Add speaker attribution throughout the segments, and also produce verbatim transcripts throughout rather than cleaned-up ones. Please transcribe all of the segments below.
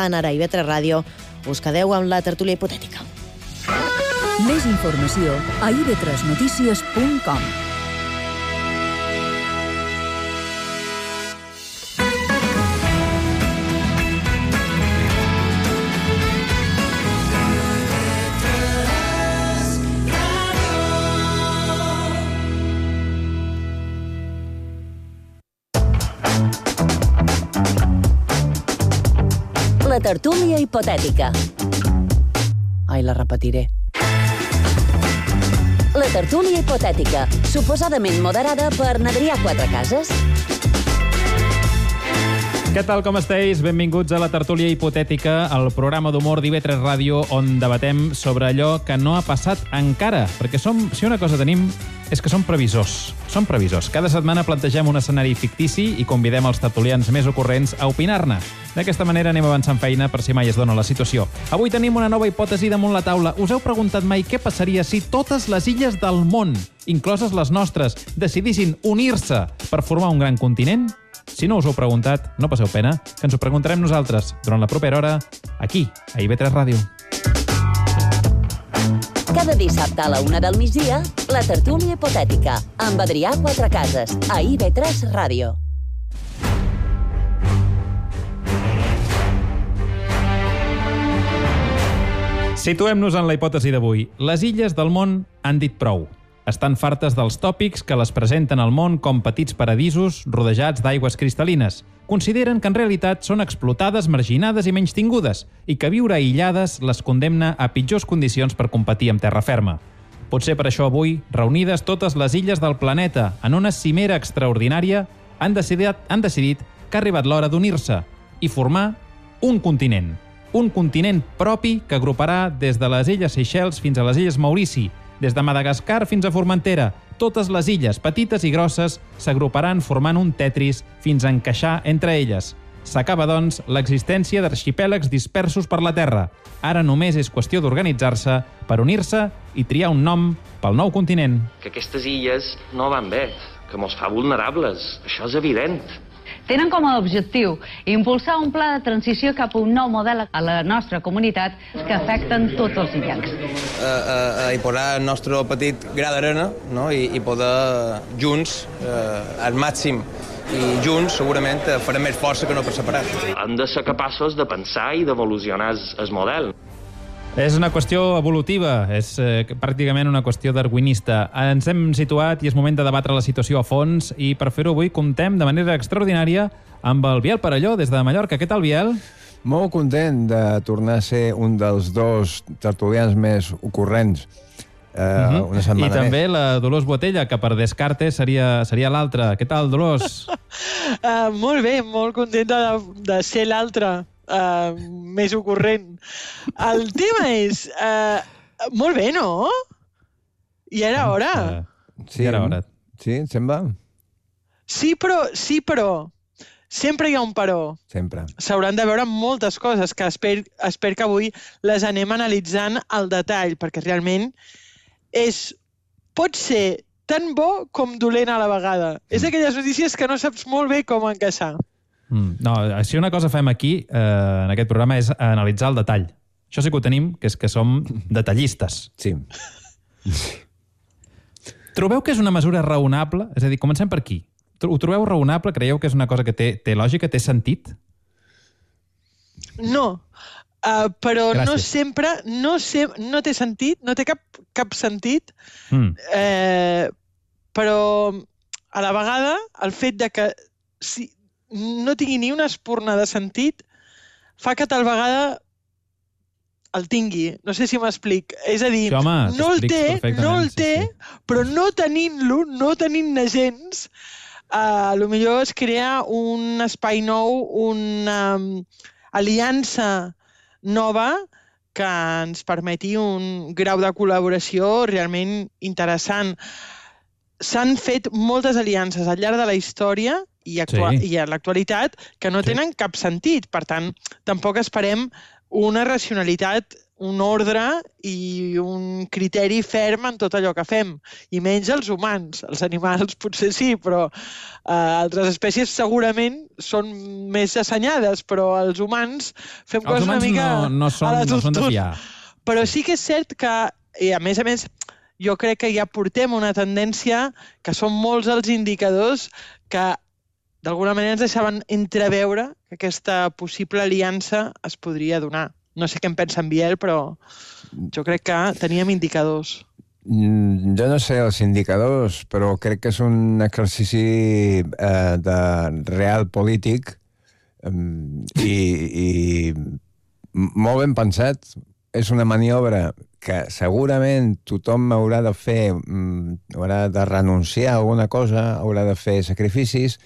Speaker 1: endavant ara a I V tres Ràdio. Us quedeu amb la tertúlia hipotètica.
Speaker 2: Més informació a i ve tres notícies punt com.
Speaker 3: La tertúlia hipotètica.
Speaker 1: Ai, la repetiré.
Speaker 3: La tertúlia hipotètica, suposadament moderada per Adrià Quatrecases.
Speaker 4: Què tal, com esteu? Benvinguts a la tertúlia hipotètica, el programa d'humor d'I V tres Ràdio, on debatem sobre allò que no ha passat encara. Perquè som, si una cosa tenim és que som previsors. Som previsors. Cada setmana plantegem un escenari fictici i convidem els tertulians més ocorrents a opinar-ne. D'aquesta manera anem avançant feina per si mai es dona la situació. Avui tenim una nova hipòtesi damunt la taula. Us heu preguntat mai què passaria si totes les illes del món, incloses les nostres, decidissin unir-se per formar un gran continent? Si no us ho heu preguntat, no passeu pena, que ens ho preguntarem nosaltres durant la propera hora, aquí, a I V tres Ràdio.
Speaker 3: Cada dissabte a la una del migdia, la tertúlia hipotètica, amb Adrià Quatrecases, a I V tres Ràdio.
Speaker 4: Situem-nos en la hipòtesi d'avui. Les illes del món han dit prou. Estan fartes dels tòpics que les presenten al món com petits paradisos rodejats d'aigües cristal·lines. Consideren que en realitat són explotades, marginades i menystingudes i que viure aïllades les condemna a pitjors condicions per competir amb terra ferma. Potser per això avui, reunides totes les illes del planeta en una cimera extraordinària, han decidit, han decidit que ha arribat l'hora d'unir-se i formar un continent. Un continent propi que agruparà des de les illes Seychelles fins a les illes Maurici, des de Madagascar fins a Formentera. Totes les illes, petites i grosses, s'agruparan formant un Tetris fins a encaixar entre elles. S'acaba, doncs, l'existència d'arxipèlags dispersos per la Terra. Ara només és qüestió d'organitzar-se per unir-se i triar un nom pel nou continent.
Speaker 5: Que aquestes illes no van bé, que mos fa vulnerables. Això és evident.
Speaker 6: Tenen com a objectiu impulsar un pla de transició cap a un nou model a la nostra comunitat que afecten tots els illencs.
Speaker 7: A, a, a posar el nostre petit gra d'arena, no? I, i poder junts, eh, al màxim, i junts segurament farem més força que no per separat.
Speaker 5: Han de ser capaços de pensar i d'evolucionar el model.
Speaker 4: És una qüestió evolutiva, és eh, pràcticament una qüestió darwinista. Ens hem situat i és moment de debatre la situació a fons i per fer-ho avui comptem de manera extraordinària amb el Biel Parelló des de Mallorca. Què tal, Biel?
Speaker 8: Molt content de tornar a ser un dels dos tertulians més ocorrents eh, uh-huh. una setmana
Speaker 4: I també
Speaker 8: més.
Speaker 4: la Dolors Botella, que per descarte seria, seria l'altra. Què tal, Dolors?
Speaker 9: uh, molt bé, molt contenta de, de ser l'altra. Uh, més ocorrent. El tema és... Uh, molt bé, no? I era hora.
Speaker 4: Uh, sí, I era hora.
Speaker 8: Sí, et sembla?
Speaker 9: Sí, però... Sí, però... Sempre hi ha un però.
Speaker 8: Sempre.
Speaker 9: S'hauran de veure moltes coses que esper, esper que avui les anem analitzant al detall, perquè realment és... pot ser tan bo com dolent a la vegada. Mm. És aquelles notícies que no saps molt bé com encaixar.
Speaker 4: Mm, no, si una cosa fem aquí, eh, en aquest programa, és analitzar el detall. Això sí que ho tenim, que és que som detallistes.
Speaker 8: Sí.
Speaker 4: Trobeu que és una mesura raonable? És a dir, comencem per aquí. Ho trobeu raonable? Creieu que és una cosa que té, té lògica, té sentit?
Speaker 9: No, uh, però
Speaker 4: Gràcies.
Speaker 9: no sempre, no, se, no té sentit, no té cap, cap sentit,
Speaker 4: mm.
Speaker 9: eh, però a la vegada el fet de que si, no tingui ni una espurna de sentit fa que tal vegada el tingui. No sé si m'explic. És a dir,
Speaker 4: sí, home,
Speaker 9: no el té, no el té,
Speaker 4: sí, sí.
Speaker 9: però no tenint-lo, no tenint-ne gens, uh, potser es crea un espai nou, una um, aliança nova que ens permeti un grau de col·laboració realment interessant. S'han fet moltes aliances al llarg de la història i, actua sí. i a l'actualitat que no sí. tenen cap sentit. Per tant, tampoc esperem una racionalitat un ordre i un criteri ferm en tot allò que fem, i menys els humans. Els animals potser sí, però eh, altres espècies segurament són més assenyades, però els humans fem
Speaker 4: els
Speaker 9: coses una mica
Speaker 4: no, no són,
Speaker 9: a la
Speaker 4: no són de
Speaker 9: tortuga.
Speaker 4: fiar.
Speaker 9: Però sí que és cert que, i a més a més, jo crec que ja portem una tendència que són molts els indicadors que d'alguna manera ens deixaven entreveure que aquesta possible aliança es podria donar. No sé què en pensa en Biel, però jo crec que teníem indicadors.
Speaker 8: Jo no sé els indicadors, però crec que és un exercici eh, de real polític eh, i, i molt ben pensat. És una maniobra que segurament tothom haurà de fer, haurà de renunciar a alguna cosa, haurà de fer sacrificis,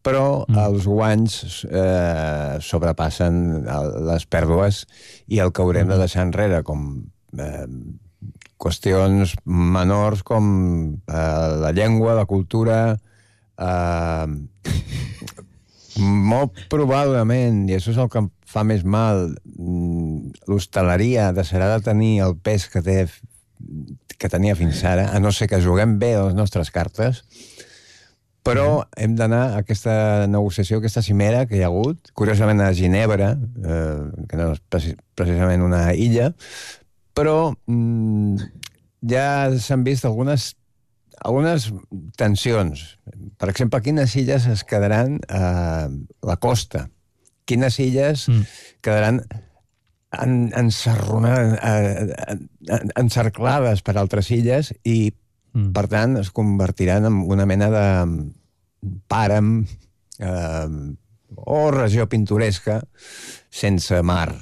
Speaker 8: però mm. els guanys eh, sobrepassen les pèrdues i el que haurem mm. de deixar enrere, com eh, qüestions menors com eh, la llengua, la cultura... Eh, molt probablement, i això és el que em fa més mal, l'hostaleria deixarà de tenir el pes que, té, que tenia fins ara, a no ser que juguem bé les nostres cartes, però hem d'anar a aquesta negociació, aquesta cimera que hi ha hagut, curiosament a Ginebra, eh, que no és precisament una illa, però mm, ja s'han vist algunes, algunes tensions. Per exemple, quines illes es quedaran a la costa? Quines illes mm. quedaran en, en, encerclades per altres illes i Mm. per tant, es convertiran en una mena de pàrem eh, o regió pintoresca sense mar.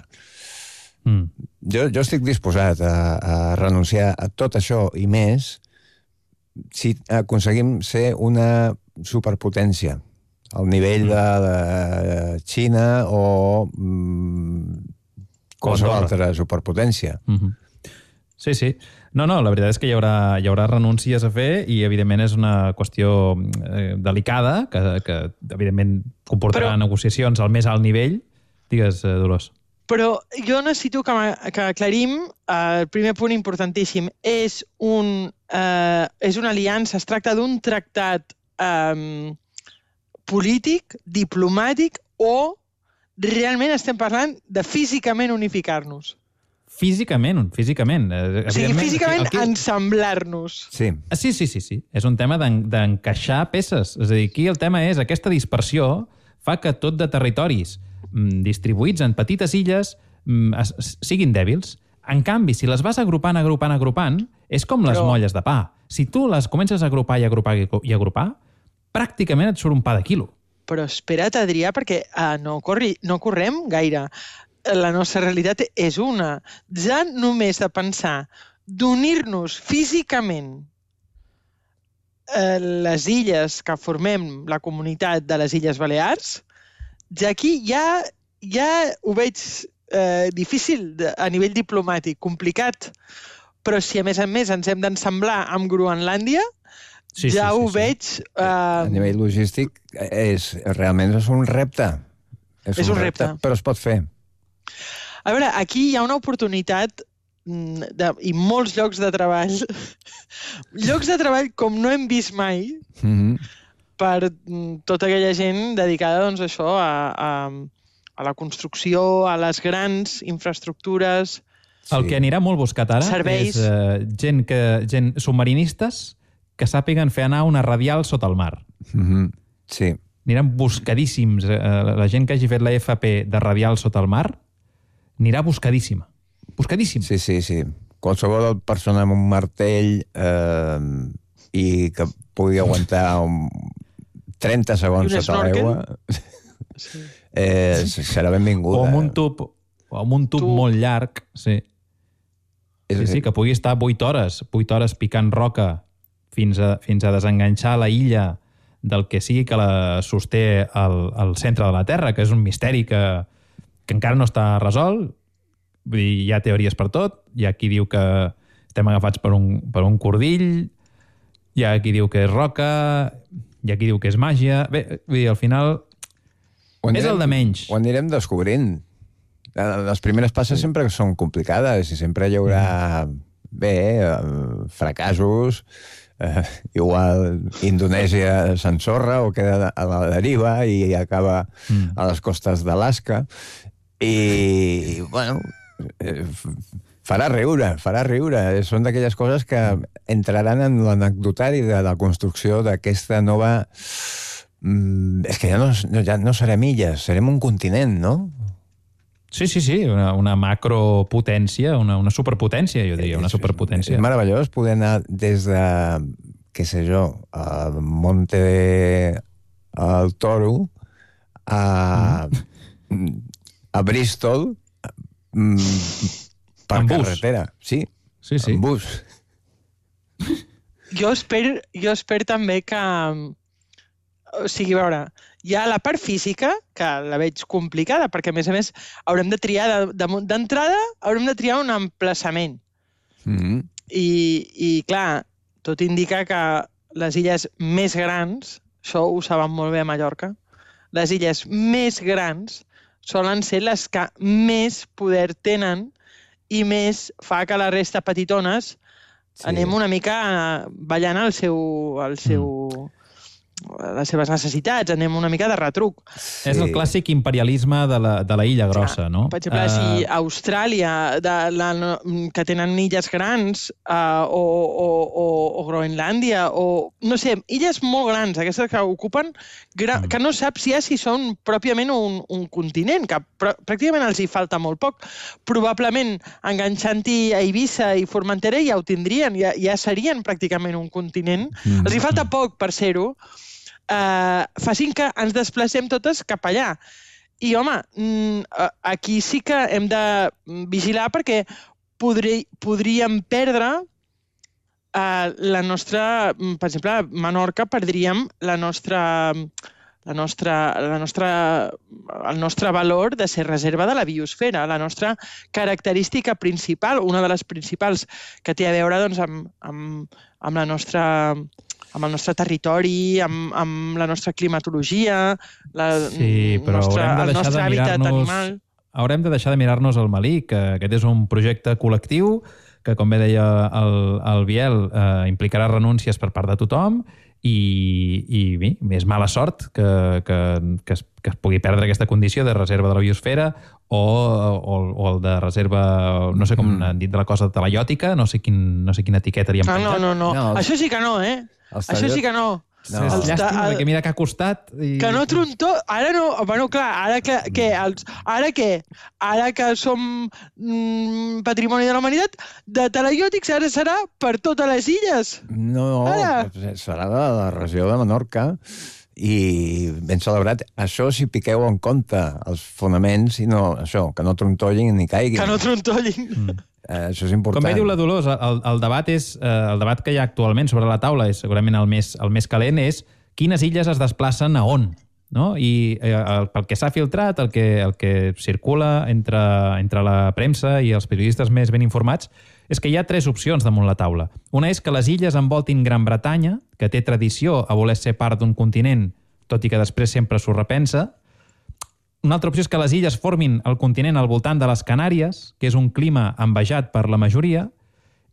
Speaker 8: Mm. Jo, jo estic disposat a, a renunciar a tot això i més si aconseguim ser una superpotència al nivell mm. de, de Xina o mm, qualsevol altra superpotència.
Speaker 4: Mm-hmm. Sí, sí. No, no, la veritat és que hi haurà, hi haurà renúncies a fer i, evidentment, és una qüestió eh, delicada que, que, evidentment, comportarà però, negociacions al més alt nivell. Digues, eh, Dolors.
Speaker 9: Però jo necessito que, que aclarim eh, el primer punt importantíssim. És, un, eh, és una aliança, es tracta d'un tractat eh, polític, diplomàtic, o realment estem parlant de físicament unificar-nos?
Speaker 4: Físicament, físicament.
Speaker 9: O sigui, físicament aquí... ensamblar-nos.
Speaker 8: Sí.
Speaker 4: sí, sí, sí, sí. És un tema d'encaixar peces. És a dir, aquí el tema és aquesta dispersió fa que tot de territoris distribuïts en petites illes siguin dèbils. En canvi, si les vas agrupant, agrupant, agrupant, és com les Però... molles de pa. Si tu les comences a agrupar i agrupar i agrupar, pràcticament et surt un pa de quilo.
Speaker 9: Però espera't, Adrià, perquè uh, no, corri, no correm gaire. La nostra realitat és una. Ja només de pensar d'unir-nos físicament eh, les illes que formem la comunitat de les Illes Balears, ja aquí ja, ja ho veig eh, difícil a nivell diplomàtic, complicat. Però si a més a més ens hem d'ensamblar amb Groenlàndia, sí, ja sí, ho sí, veig...
Speaker 8: Sí. Eh... A nivell logístic és, realment és un repte. És, és un, un repte, repte, però es pot fer.
Speaker 9: A veure, aquí hi ha una oportunitat de, i molts llocs de treball, llocs de treball com no hem vist mai, mm-hmm. per tota aquella gent dedicada doncs, a això, a, a, a la construcció, a les grans infraestructures...
Speaker 4: Sí. El que anirà molt buscat ara
Speaker 9: serveis.
Speaker 4: És uh, gent, que, gent submarinistes que sàpiguen fer anar una radial sota el mar.
Speaker 8: Mm-hmm. Sí.
Speaker 4: Aniran buscadíssims. Uh, la gent que hagi fet la F P de radial sota el mar anirà buscadíssima. Buscadíssima.
Speaker 8: Sí, sí, sí. Qualsevol persona amb un martell eh, i que pugui aguantar un trenta segons sota l'aigua sí. eh, serà benvinguda.
Speaker 4: O amb un tub, o amb un tub, tub. molt llarg, sí. Sí, sí, que pugui estar vuit hores, vuit hores picant roca fins a, fins a desenganxar la illa del que sigui que la sosté al, al centre de la Terra, que és un misteri que, que encara no està resolt. Vull dir, hi ha teories per tot. Hi ha qui diu que estem agafats per un, per un cordill, hi ha qui diu que és roca, hi ha qui diu que és màgia. Bé, vull dir, al final anirem, és el de menys.
Speaker 8: Ho anirem descobrint. les primeres passes sempre són complicades i sempre hi haurà, bé, fracassos, eh, igual Indonèsia s'ensorra o queda a la deriva i acaba mm. a les costes d'Alaska i, bueno, farà riure, farà riure. Són d'aquelles coses que entraran en l'anecdotari de la construcció d'aquesta nova... Mm, és que ja no, ja no serem illes, serem un continent, no?
Speaker 4: Sí, sí, sí, una, una macropotència, una, una superpotència, jo diria, una superpotència.
Speaker 8: És meravellós poder anar des de, què sé jo, a Monte de... al Toro, a, mm. a Bristol, per carretera. Sí,
Speaker 4: sí, sí.
Speaker 8: En bus.
Speaker 9: Jo espero, jo espero també que... O sigui, a veure, hi ha la part física, que la veig complicada, perquè, a més a més, haurem de triar, d'entrada, haurem de triar un emplaçament.
Speaker 8: Mm-hmm.
Speaker 9: I, I, clar, tot indica que les illes més grans, això ho saben molt bé a Mallorca, les illes més grans solen ser les que més poder tenen i més fa que la resta petitones sí. anem una mica ballant al seu... Al seu mm. les seves necessitats, anem una mica de retruc.
Speaker 4: Sí. És el clàssic imperialisme de la, de la illa grossa, ja, no?
Speaker 9: Per exemple, uh... si Austràlia, de la, que tenen illes grans, uh, o, o, o, o Groenlàndia, o, no sé, illes molt grans, aquestes que ocupen, gra... mm. que no saps ja si són pròpiament un, un continent, que pr pràcticament els hi falta molt poc. Probablement, enganxant-hi a Eivissa i Formentera ja ho tindrien, ja, ja serien pràcticament un continent. Mm. Els hi falta poc per ser-ho, Uh, facin que ens desplacem totes cap allà. I, home, aquí sí que hem de vigilar perquè podri, podríem perdre uh, la nostra... Per exemple, a Menorca perdríem la nostra, la nostra, la nostra, el nostre valor de ser reserva de la biosfera, la nostra característica principal, una de les principals que té a veure doncs, amb, amb, amb la nostra... amb el nostre territori, amb, amb la nostra climatologia, la,
Speaker 4: sí, però nostre, el nostre hàbitat animal. Haurem de deixar de mirar-nos el Malí, que aquest és un projecte col·lectiu que, com bé deia el, el Biel, eh, implicarà renúncies per part de tothom i, i bé, és mala sort que, que, que, es, que es pugui perdre aquesta condició de reserva de la biosfera o, o, o el de reserva, no sé com mm. han dit de la cosa talaiòtica, no sé, quin, no sé quina etiqueta li han
Speaker 9: ah,
Speaker 4: penjat.
Speaker 9: No, no, no, no. Això sí que no, eh? Això sí que no.
Speaker 4: No. És llàstima, perquè mira que ha costat... I...
Speaker 9: Que no trontó... Ara no... Bueno, clar, ara que... que els, ara què? Ara que som mm, patrimoni de la humanitat, de talaiòtics ara serà per totes les illes.
Speaker 8: No, ara. Serà de la regió de Menorca i ben celebrat. Això si piqueu en compte els fonaments i no... Això, que no trontollin ni caiguin.
Speaker 9: Que no trontollin.
Speaker 8: Mm. Eh, això és important.
Speaker 4: Com bé diu la Dolors, el, el, debat és, eh, el debat que hi ha actualment sobre la taula, és segurament el més, el més calent, és quines illes es desplacen a on. No? I eh, el, pel que s'ha filtrat, el que, el que circula entre, entre la premsa i els periodistes més ben informats, és que hi ha tres opcions damunt la taula. Una és que les illes envoltin Gran Bretanya, que té tradició a voler ser part d'un continent, tot i que després sempre s'ho repensa. Una altra opció és que les illes formin el continent al voltant de les Canàries, que és un clima envejat per la majoria,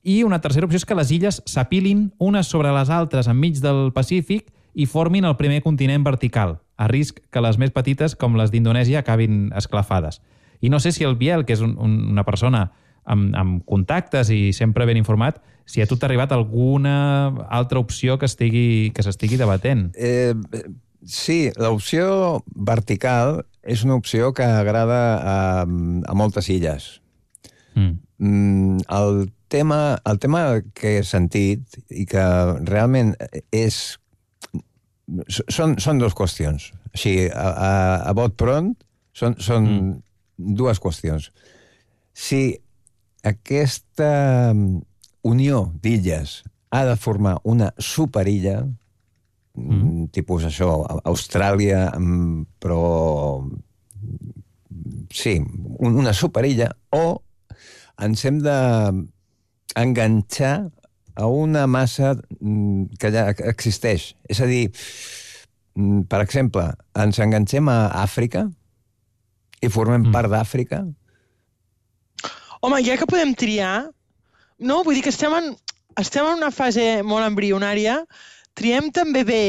Speaker 4: i una tercera opció és que les illes s'apilin unes sobre les altres enmig del Pacífic i formin el primer continent vertical, a risc que les més petites, com les d'Indonèsia, acabin esclafades. I no sé si el Biel, que és un, un, una persona amb, amb contactes i sempre ben informat, si a tu t'ha arribat alguna altra opció que estigui, que s'estigui debatent.
Speaker 8: Eh, sí, l'opció vertical és una opció que agrada a, a moltes illes. Mm. El, tema, el tema que he sentit i que realment és... Són, són dues qüestions. Així, a, a, a bot pront, són, són mm. dues qüestions. Si aquesta unió d'illes ha de formar una superilla, Mm. tipus això, Austràlia, però sí, una superilla, o ens hem d'enganxar a una massa que ja existeix. És a dir, per exemple, ens enganxem a Àfrica i formem mm. part d'Àfrica,
Speaker 9: Home, ja que podem triar, no, vull dir que estem en, estem en una fase molt embrionària, triem també bé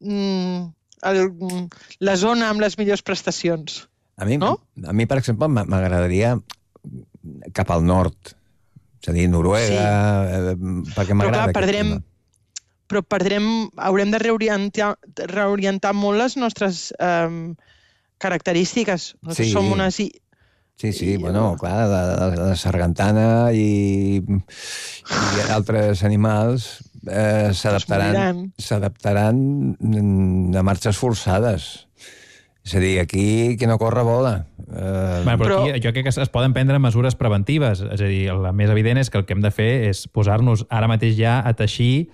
Speaker 9: mm, el, la zona amb les millors prestacions.
Speaker 8: A mi,
Speaker 9: no?
Speaker 8: a mi per exemple, m'agradaria cap al nord, és a dir, Noruega, sí. eh, perquè m'agrada aquest
Speaker 9: perdrem,
Speaker 8: tema.
Speaker 9: Però perdrem, haurem de reorientar, reorientar molt les nostres eh, característiques. Nosaltres
Speaker 8: Sí.
Speaker 9: som unes...
Speaker 8: Sí, sí, I, bueno, clar, la, la, la sargantana i, i altres animals eh, s'adaptaran s'adaptaran a marxes forçades. És a dir, aquí qui no corre vola.
Speaker 4: Eh... Bueno, però aquí jo crec que es poden prendre mesures preventives. És a dir, la més evident és que el que hem de fer és posar-nos ara mateix ja a teixir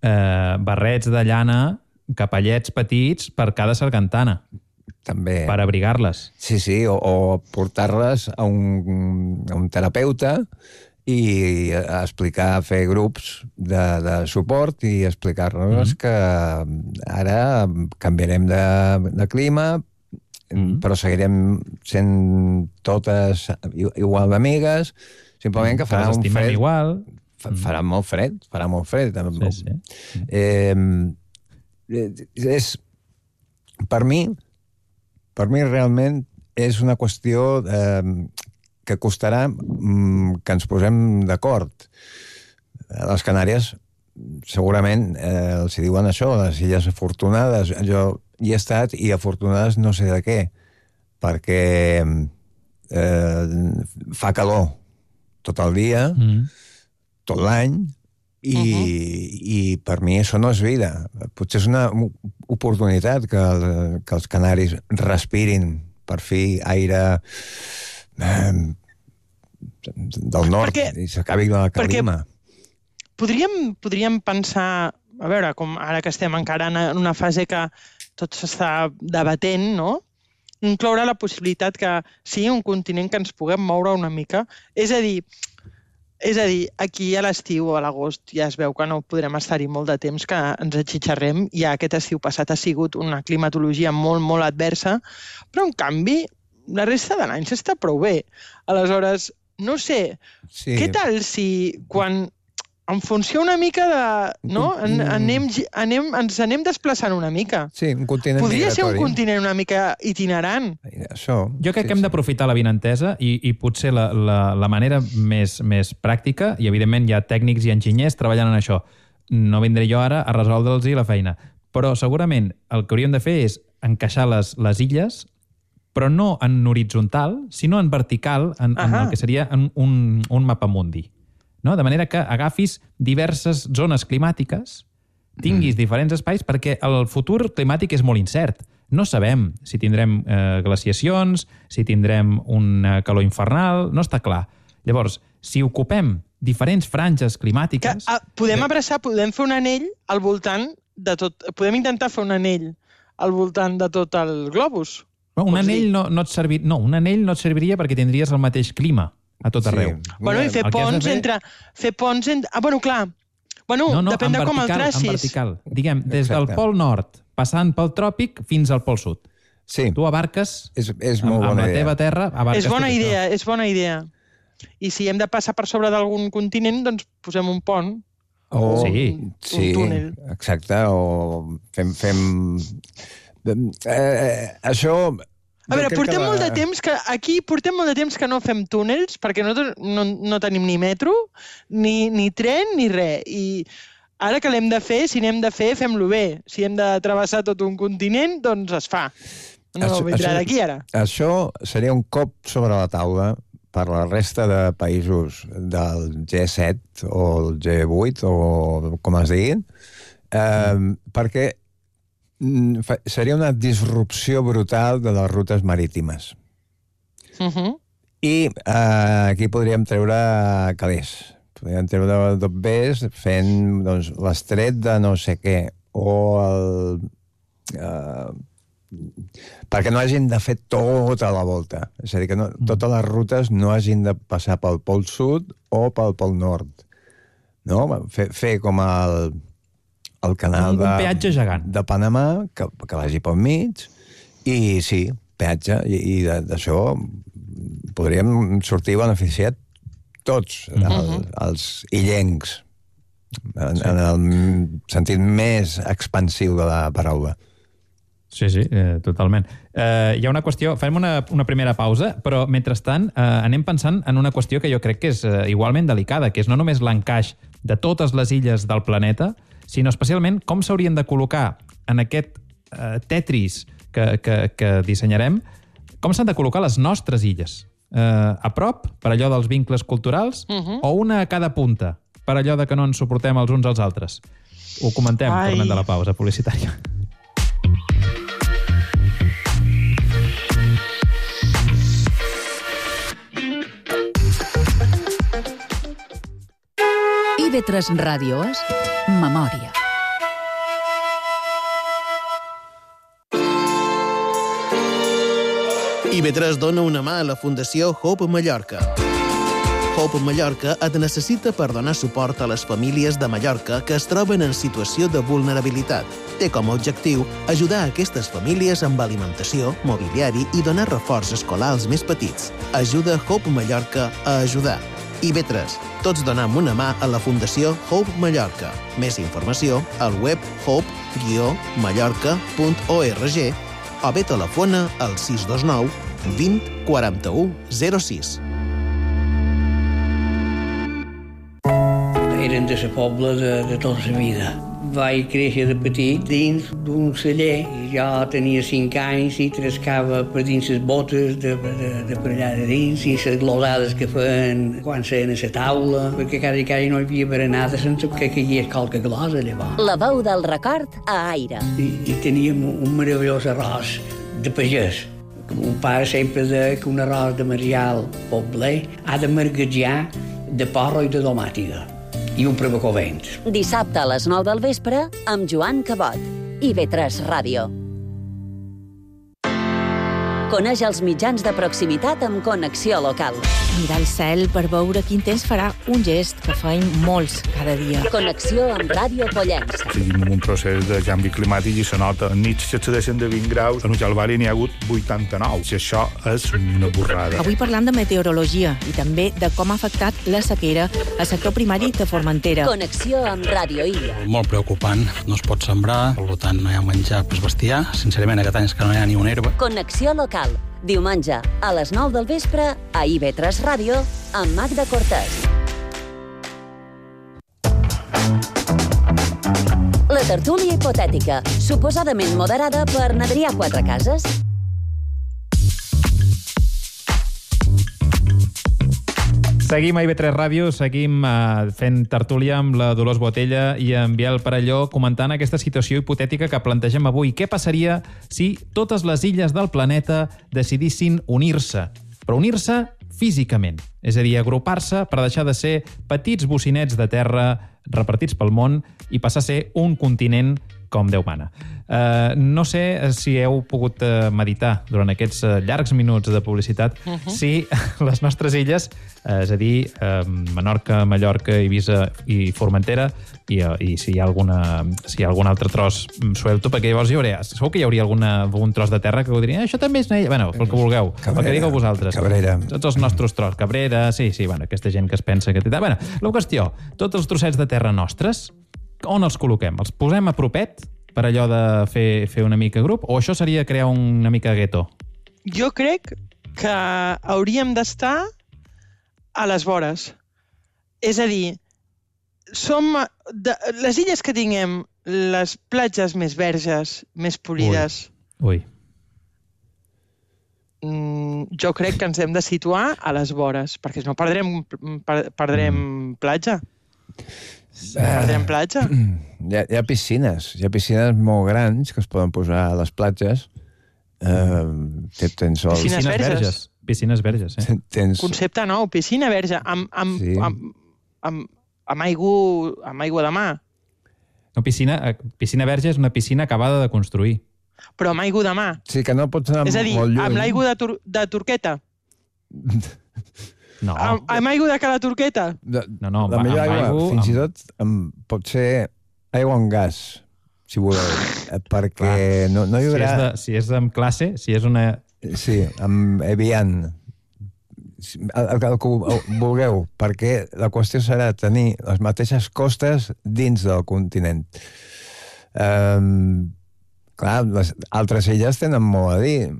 Speaker 4: eh, barrets de llana, capellets petits per cada sargantana.
Speaker 8: També.
Speaker 4: Per abrigar-les.
Speaker 8: Sí, sí, o, o portar-les a un, a un terapeuta i a explicar, fer grups de, de suport i explicar-nos mm-hmm. que ara canviarem de, de clima, mm-hmm. però seguirem sent totes igual d'amigues, simplement que farà un fred...
Speaker 4: igual.
Speaker 8: Farà molt fred, farà molt fred.
Speaker 4: Sí, sí.
Speaker 8: Eh, és, per mi, per mi realment és una qüestió eh, que costarà mm, que ens posem d'acord. A les Canàries segurament eh, els hi diuen això, les illes afortunades. Jo hi he estat i afortunades no sé de què, perquè eh, fa calor tot el dia, mm. tot l'any, i, uh-huh. i per mi això no és vida. Potser és una oportunitat que, el, que els canaris respirin per fi aire eh, del nord perquè, i s'acabi la calima.
Speaker 9: Podríem, podríem pensar, a veure, com ara que estem encara en una fase que tot s'està debatent, no? Incloure la possibilitat que sigui un continent que ens puguem moure una mica. És a dir, És a dir, aquí a l'estiu o a l'agost ja es veu que no podrem estar-hi molt de temps, que ens atxitxarrem. Ja aquest estiu passat ha sigut una climatologia molt, molt adversa, però en canvi la resta de l'any s'està prou bé. Aleshores, no sé, sí. Què tal si quan en funció una mica de... No? En, anem, anem, ens anem desplaçant una mica.
Speaker 8: Sí, un continent
Speaker 9: Podria
Speaker 8: migratori.
Speaker 9: ser un continent una mica itinerant.
Speaker 8: Això,
Speaker 4: jo crec
Speaker 8: sí,
Speaker 4: que hem
Speaker 8: sí.
Speaker 4: d'aprofitar l'avinentesa i, i potser la, la, la manera més, més pràctica, i evidentment hi ha tècnics i enginyers treballant en això. No vindré jo ara a resoldre'ls la feina. Però segurament el que hauríem de fer és encaixar les, les illes, però no en horitzontal, sinó en vertical, en, en el que seria en un, un mapamundi. No? De manera que agafis diverses zones climàtiques, tinguis mm. diferents espais, perquè el futur climàtic és molt incert. No sabem si tindrem eh, glaciacions, si tindrem una calor infernal, no està clar. Llavors, si ocupem diferents franges climàtiques...
Speaker 9: Que, ah, podem abraçar, podem fer un anell al voltant de tot... Podem intentar fer un anell al voltant de tot el globus.
Speaker 4: No, un anell no, no, et servir... no, un anell no et serviria perquè tindries el mateix clima a tot arreu.
Speaker 9: Sí. Bueno, i fer ponts fer... entre... Fer ponts entre... Ah, bueno, clar. Bueno,
Speaker 4: no, no,
Speaker 9: depèn de com el tracis.
Speaker 4: En vertical, diguem, des Exacte. del pol nord, passant pel tròpic fins al pol sud.
Speaker 8: Sí.
Speaker 4: Tu abarques
Speaker 8: és, és molt
Speaker 4: amb,
Speaker 8: bona
Speaker 4: amb la
Speaker 8: idea.
Speaker 4: teva terra...
Speaker 9: És bona idea, això. és bona idea. I si hem de passar per sobre d'algun continent, doncs posem un pont.
Speaker 8: O
Speaker 4: sí.
Speaker 9: un,
Speaker 8: sí,
Speaker 9: un túnel.
Speaker 8: Exacte, o fem... fem... Eh, això...
Speaker 9: A veure, portem la... molt de temps que aquí portem molt de temps que no fem túnels perquè no, no, no tenim ni metro, ni, ni tren, ni res. I ara que l'hem de fer, si n'hem de fer, fem-lo bé. Si hem de travessar tot un continent, doncs es fa. No això, vindrà d'aquí ara.
Speaker 8: Això seria un cop sobre la taula per la resta de països del G set o el G vuit o com es diguin, eh, mm. perquè seria una disrupció brutal de les rutes marítimes.
Speaker 9: Uh-huh.
Speaker 8: I eh, aquí podríem treure calés. Podríem treure dobbers fent doncs, l'estret de no sé què. O el... Eh, perquè no hagin de fer tota la volta. És a dir, que no, totes les rutes no hagin de passar pel pol sud o pel pol nord. No? Fer, fer com el... el canal
Speaker 4: un,
Speaker 8: de,
Speaker 4: un peatge gegant.
Speaker 8: de Panamà, que, que vagi pel mig, i sí, peatge, i, i d'això podríem sortir beneficiat tots, el, els illencs, en, sí. en el sentit més expansiu de la paraula.
Speaker 4: Sí, sí, eh, totalment. Eh, hi ha una qüestió, farem una, una primera pausa, però mentrestant eh, anem pensant en una qüestió que jo crec que és eh, igualment delicada, que és no només l'encaix de totes les illes del planeta, sinó especialment com s'haurien de col·locar en aquest eh, Tetris que, que, que dissenyarem, com s'han de col·locar les nostres illes. Eh, a prop, per allò dels vincles culturals, uh-huh. o una a cada punta, per allò de que no ens suportem els uns als altres. Ho comentem, Ai. tornant de la pausa publicitària.
Speaker 2: I B tres Ràdio és Memòria.
Speaker 10: I B tres dona una mà a la Fundació Hope Mallorca. Hope Mallorca et necessita per donar suport a les famílies de Mallorca que es troben en situació de vulnerabilitat. Té com a objectiu ajudar aquestes famílies amb alimentació, mobiliari i donar reforç escolar als més petits. Ajuda Hope Mallorca a ajudar. I B tres. Tots donem una mà a la Fundació Hope Mallorca. Més informació al web hope mallorca punt org o bé telefona al sis dos nou vint quaranta-u zero sis.
Speaker 11: Eren de la pobla de, de tota la vida. Vaig créixer de petit dins d'un celler. Jo tenia cinc anys i trescava per dins les botes de, de, de per allà de dins i les glosades que feien quan seien a la taula, perquè cada cada no hi havia berenada sense que caigués qualque glosa llavors.
Speaker 3: La veu del record a Aire.
Speaker 11: I, i teníem un meravellós arròs de pagès. Un pare sempre deia que un arròs de Marial pobler ha de marguejar de porro i de domàtiga. I un provocovent.
Speaker 3: Dissabte a les nou del vespre amb Joan Cabot. I B tres Ràdio. Coneix els mitjans de proximitat amb Connexió Local.
Speaker 12: Mirar el cel per veure quin temps farà, un gest que feim molts cada dia.
Speaker 3: Connexió amb Ràdio Pollença.
Speaker 13: Seguim un procés de canvi climàtic i se nota. En nits s'excedeixen de vint graus, en Ujalbari n'hi ha hagut vuitanta-nou. Si això és una borrada.
Speaker 12: Avui parlam de meteorologia i també de com ha afectat la sequera al sector primari de Formentera.
Speaker 3: Connexió amb Ràdio Illa.
Speaker 14: Molt preocupant. No es pot sembrar, per tant no hi ha menjar per bestiar. Sincerament, aquest any és que no hi ha ni una herba.
Speaker 3: Connexió Local. Diumenge, a les nou del vespre, a I B tres Ràdio, amb Magda Cortés. La tertúlia hipotètica, suposadament moderada per n'Adrià Quatrecases.
Speaker 4: Seguim a I B tres Ràdio, seguim uh, fent tertúlia amb la Dolors Botella i en Biel Parelló comentant aquesta situació hipotètica que plantegem avui. Què passaria si totes les illes del planeta decidissin unir-se? Però unir-se físicament, és a dir, agrupar-se per deixar de ser petits bocinets de terra repartits pel món i passar a ser un continent com Déu mana. Uh, no sé si heu pogut uh, meditar durant aquests uh, llargs minuts de publicitat uh-huh. si les nostres illes, uh, és a dir, uh, Menorca, Mallorca, Eivissa i Formentera, i, uh, i si hi ha alguna, si hi ha algun altre tros suelto, perquè llavors hi hauria, segur que hi hauria alguna, algun tros de terra que ho diria, això també és una illa, bueno, el que vulgueu, Cabrera, el que digueu vosaltres.
Speaker 8: Cabrera.
Speaker 4: Tots els nostres tros, Cabrera, sí, sí, bueno, aquesta gent que es pensa que... Bueno, la qüestió, tots els trossets de terra nostres, on els col·loquem? Els posem a propet per allò de fer, fer una mica grup? O això seria crear una mica gueto?
Speaker 9: Jo crec que hauríem d'estar a les vores. És a dir, som de, les illes que tinguem les platges més verges, més polides.
Speaker 4: Ui. Ui.
Speaker 9: Mm, jo crec que ens hem de situar a les vores, perquè no perdrem, per, perdrem mm. platja. Perdrem platja.
Speaker 8: Hi ha, hi ha piscines, hi ha piscines molt grans que es poden posar a les platges. Uh, tens el...
Speaker 9: Piscines verges. verges.
Speaker 4: Piscines verges, eh?
Speaker 8: Tens...
Speaker 9: Concepte nou, piscina verge, amb, amb, sí. amb, amb, amb, aigua, amb aigua de mar.
Speaker 4: No, piscina, piscina verge és una piscina acabada de construir.
Speaker 9: Però amb aigua de mar.
Speaker 8: Sí, que no pots anar molt lluny.
Speaker 9: És a dir, amb l'aigua de, tur de turqueta.
Speaker 4: No.
Speaker 9: Amb, amb aigua de cada turqueta?
Speaker 8: De,
Speaker 4: no, no,
Speaker 8: la
Speaker 4: amb,
Speaker 8: millor
Speaker 4: amb
Speaker 8: aigua,
Speaker 4: aigua,
Speaker 8: fins
Speaker 4: amb...
Speaker 8: i tot, amb, pot ser aigua amb gas, si voleu, perquè Clar. no, no hi haurà...
Speaker 4: Si és, de, si és amb classe, si és una...
Speaker 8: Sí, amb Evian. el, el que vulgueu, perquè la qüestió serà tenir les mateixes costes dins del continent. Um, clar, les altres illes tenen molt a dir.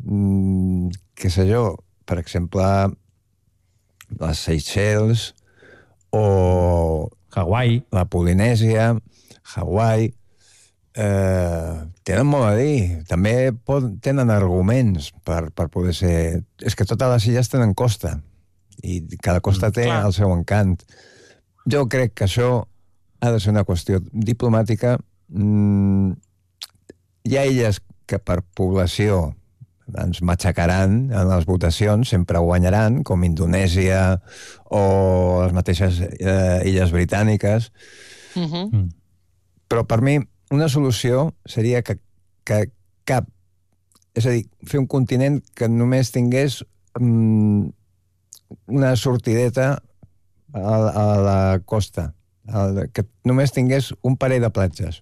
Speaker 8: Mm, què sé jo, per exemple, les Seychelles o
Speaker 4: Hawaii,
Speaker 8: la Polinèsia, Hawaii, eh, tenen molt a dir. També pot, tenen arguments per, per poder ser... És que totes les illes tenen costa i cada costa té
Speaker 9: Clar.
Speaker 8: el seu encant. Jo crec que això ha de ser una qüestió diplomàtica. Mm, hi ha illes que per població ens matxacaran en les votacions, sempre guanyaran, com Indonèsia o les mateixes eh, illes britàniques.
Speaker 9: Uh-huh.
Speaker 4: Mm.
Speaker 8: Però per mi una solució seria que, que cap... És a dir, fer un continent que només tingués mm, una sortideta a, a la costa, a, que només tingués un parell de platges.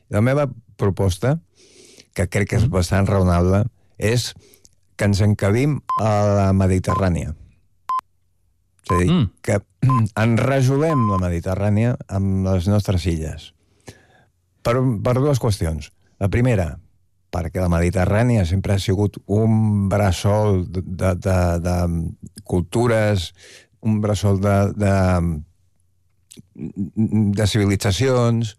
Speaker 8: La meva proposta, que crec que és bastant raonable, és que ens encabim a la Mediterrània. És a dir, mm. que enrajolem la Mediterrània amb les nostres illes. Per, per dues qüestions. La primera, perquè la Mediterrània sempre ha sigut un bressol de, de, de, de cultures, un bressol de, de, de civilitzacions,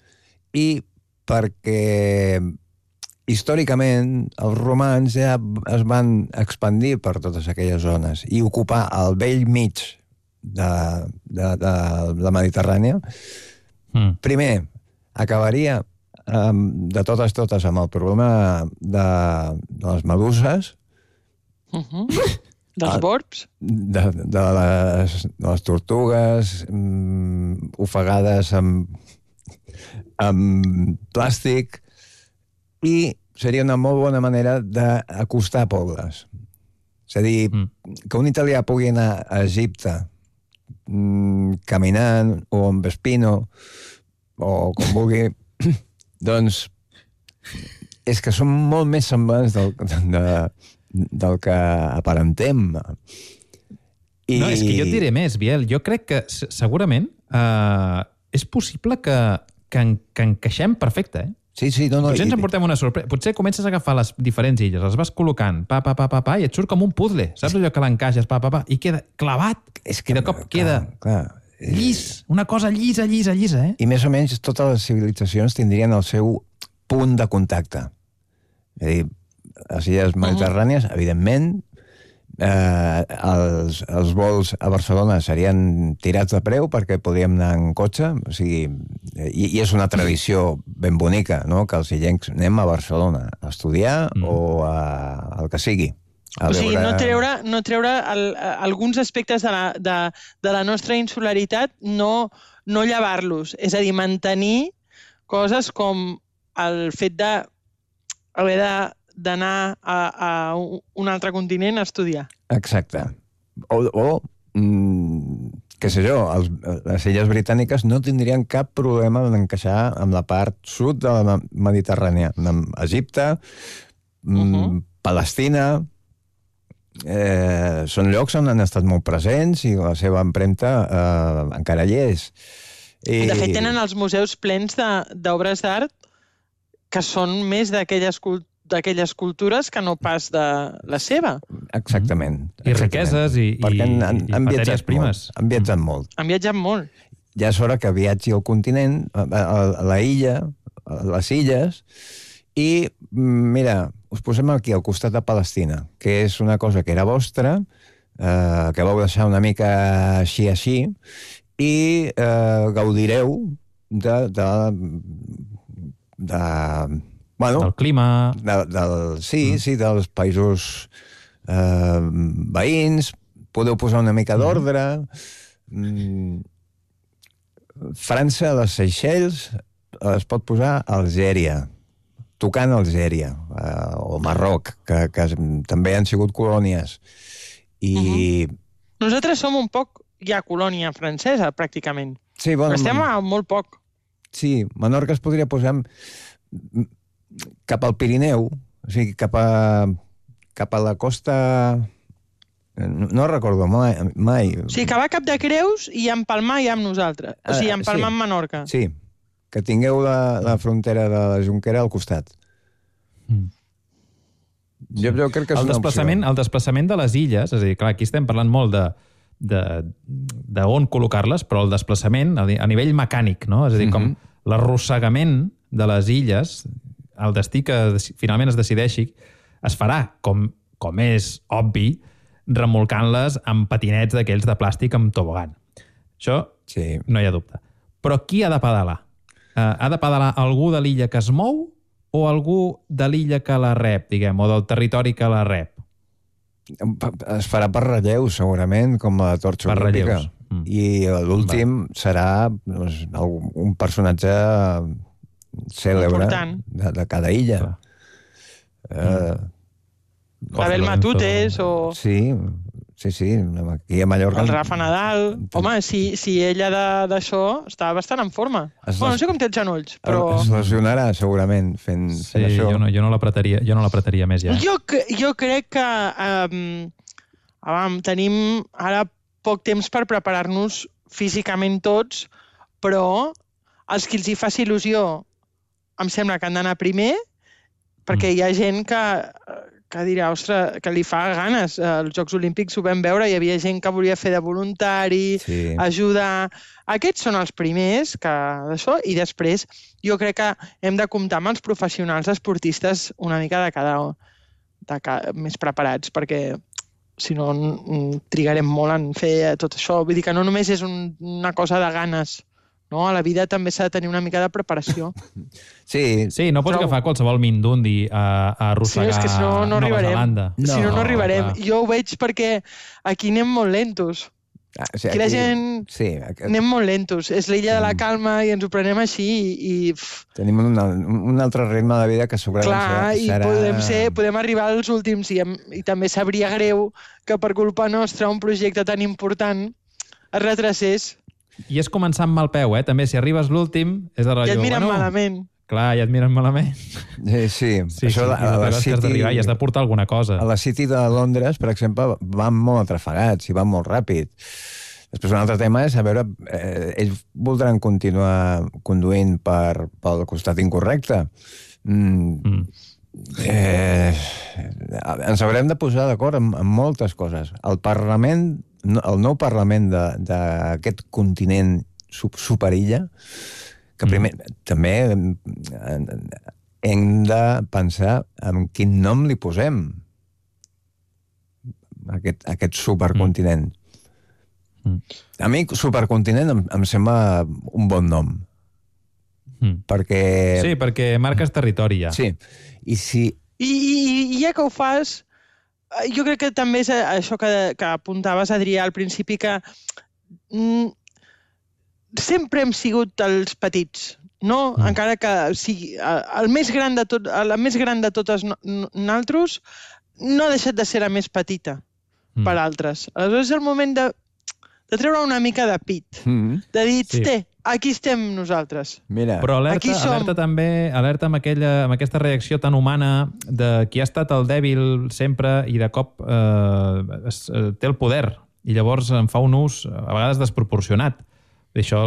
Speaker 8: i perquè històricament els romans ja es van expandir per totes aquelles zones i ocupar el vell mig de, de, de la Mediterrània. Mm. Primer, acabaria um, de totes totes amb el problema de, de les meduses,
Speaker 9: Uh-huh. Dels borbs?
Speaker 8: de, de, les, de les tortugues um, ofegades amb, amb plàstic, i seria una molt bona manera d'acostar pobles. És a dir, mm. que un italià pugui anar a Egipte mmm, caminant o amb Vespino o com vulgui, doncs és que són molt més semblants del, de, del que aparentem.
Speaker 4: I... No, és que jo et diré més, Biel. Jo crec que segurament eh, és possible que, que, en, que encaixem perfecte, eh?
Speaker 8: Sí, sí, no, no.
Speaker 4: Potser ens emportem una sorpresa. Potser comences a agafar les diferents illes, les vas col·locant, pa, pa, pa, pa, pa, i et surt com un puzzle. Saps allò que l'encaixes, pa, pa, pa, i queda clavat.
Speaker 8: És que,
Speaker 4: I de cop
Speaker 8: clar,
Speaker 4: queda
Speaker 8: clar.
Speaker 4: llis. Una cosa llisa, llisa, llisa, eh?
Speaker 8: I més o menys totes les civilitzacions tindrien el seu punt de contacte. És a dir, les illes mediterrànies, uh-huh. evidentment, eh, els, els vols a Barcelona serien tirats de preu perquè podríem anar en cotxe, o sigui, i, i és una tradició ben bonica, no?, que els illencs anem a Barcelona a estudiar mm. o a, el que sigui. A
Speaker 9: o sigui,
Speaker 8: veure...
Speaker 9: no treure, no treure el, alguns aspectes de la, de, de la nostra insularitat, no, no llevar-los. És a dir, mantenir coses com el fet de haver de d'anar a, a un altre continent a estudiar.
Speaker 8: Exacte. O, o mm, què sé jo, els, les illes britàniques no tindrien cap problema en encaixar amb la part sud de la Mediterrània, amb Egipte, mm, uh-huh. Palestina. Eh, són llocs on han estat molt presents i la seva empremta eh, encara hi és. I...
Speaker 9: De fet, tenen els museus plens d'obres d'art que són més d'aquelles cultures d'aquelles cultures que no pas de la seva.
Speaker 8: Exactament.
Speaker 4: I
Speaker 8: exactament.
Speaker 4: riqueses i,
Speaker 8: Perquè han, han,
Speaker 4: i
Speaker 8: han
Speaker 4: matèries primes.
Speaker 8: Molt, han viatjat molt.
Speaker 9: Han viatjat molt.
Speaker 8: Ja és hora que viatgi al continent, a, a, a la illa, a les illes, i mira, us posem aquí al costat de Palestina, que és una cosa que era vostra, eh, que vau deixar una mica així així, i eh, gaudireu de... de, de Bueno,
Speaker 4: del clima...
Speaker 8: De, del, sí, mm. sí, dels països eh, veïns, podeu posar una mica d'ordre. Mm. França, les Seychelles, es pot posar a Algèria, tocant Algèria, eh, o Marroc, que, que també han sigut colònies. I...
Speaker 9: Uh-huh. Nosaltres som un poc ja colònia francesa, pràcticament.
Speaker 8: Sí, bueno,
Speaker 9: però estem a molt poc.
Speaker 8: Sí, Menorca es podria posar cap al Pirineu, o sigui, cap a, cap a la costa No, no recordo mai. mai.
Speaker 9: O sigui, que va a Cap de Creus i a empalmar ja amb nosaltres. O sigui, a empalmar
Speaker 8: sí.
Speaker 9: amb Menorca.
Speaker 8: Sí, que tingueu la, la frontera de la Jonquera al costat.
Speaker 4: Mm.
Speaker 8: Jo, jo crec que és
Speaker 4: el
Speaker 8: una
Speaker 4: desplaçament,
Speaker 8: opció.
Speaker 4: El desplaçament de les illes, és a dir, clar, aquí estem parlant molt de, de, de on col·locar-les, però el desplaçament a, a nivell mecànic, no? És a dir, com mm-hmm. l'arrossegament de les illes, el destí que finalment es decideixi, es farà, com, com és obvi, remolcant-les amb patinets d'aquells de plàstic amb tobogan. Això
Speaker 8: sí.
Speaker 4: no hi ha dubte. Però qui ha de pedalar? Uh, ha de pedalar algú de l'illa que es mou o algú de l'illa que la rep, diguem, o del territori que la rep?
Speaker 8: Es farà per relleus, segurament, com la torxa
Speaker 4: per
Speaker 8: olímpica.
Speaker 4: Mm.
Speaker 8: I l'últim serà doncs, un personatge cèlebre de, de cada illa. Mm. Uh,
Speaker 9: Abel Matutes o...
Speaker 8: Sí, sí, sí. Aquí a Mallorca...
Speaker 9: El Rafa Nadal. Home, si, si ella d'això està bastant en forma. Es bueno, no sé com té els genolls, però...
Speaker 8: Es lesionarà, segurament, fent,
Speaker 4: sí,
Speaker 8: fent això.
Speaker 4: Jo no, jo no l'apretaria jo no l'apretaria més ja.
Speaker 9: Jo, jo crec que um, abam, tenim ara poc temps per preparar-nos físicament tots, però els que els hi faci il·lusió em sembla que han d'anar primer, perquè mm. hi ha gent que... que dirà, ostres, que li fa ganes. Els Jocs Olímpics ho vam veure, hi havia gent que volia fer de voluntari, sí. ajudar... Aquests són els primers que d'això, i després jo crec que hem de comptar amb els professionals esportistes una mica de cada... De cada més preparats, perquè si no trigarem molt en fer tot això. Vull dir que no només és un, una cosa de ganes, no? A la vida també s'ha de tenir una mica de preparació.
Speaker 8: Sí,
Speaker 4: sí no pots Però... agafar qualsevol mindundi a, a arrossegar sí, és que si no, no Nova arribarem. Zelanda.
Speaker 9: No, si no, no arribarem. Clar. Jo ho veig perquè aquí anem molt lentos.
Speaker 8: Ah, o sigui,
Speaker 9: aquí la gent
Speaker 8: sí, aquest...
Speaker 9: anem molt lentos. És l'illa de la calma i ens ho prenem així i...
Speaker 8: Tenim un, un altre ritme de vida que segurament
Speaker 9: Clar,
Speaker 8: serà...
Speaker 9: i podem, ser, podem arribar als últims i, i també sabria greu que per culpa nostra un projecte tan important es retracés.
Speaker 4: I és començar amb mal peu, eh? També, si arribes l'últim, és de rotllo...
Speaker 9: Ja et miren
Speaker 4: bueno,
Speaker 9: malament.
Speaker 4: Clar, ja et miren malament.
Speaker 8: Sí, sí.
Speaker 4: sí,
Speaker 8: Això
Speaker 4: sí.
Speaker 8: A, a la City...
Speaker 4: I has de portar alguna cosa.
Speaker 8: A la City de Londres, per exemple, van molt atrafegats i van molt ràpid. Després un altre tema és a veure... Eh, ells voldran continuar conduint per, pel costat incorrecte. Mm. Mm. Eh, ens haurem de posar d'acord en, en moltes coses. El Parlament... el nou Parlament d'aquest continent sub superilla, que primer mm. també hem de pensar en quin nom li posem a aquest, a aquest supercontinent. Mm. A mi supercontinent em, em sembla un bon nom. Mm. Perquè...
Speaker 4: Sí, perquè marques territori ja.
Speaker 8: Sí. I si...
Speaker 9: I, i, i ja que ho fas... Jo crec que també és això que, que apuntaves, Adrià, al principi, que mm, sempre hem sigut els petits, no? Mm. Encara que sigui el més gran de tot, la més gran de totes nosaltres no ha deixat de ser la més petita mm. per altres. Aleshores és el moment de, de treure una mica de pit, mm. de dir, sí. té, aquí estem nosaltres.
Speaker 8: Mira.
Speaker 4: Però alerta, alerta també, alerta amb, aquella, amb aquesta reacció tan humana de qui ha estat el dèbil sempre i de cop eh, es, eh, té el poder i llavors en fa un ús a vegades desproporcionat. Això,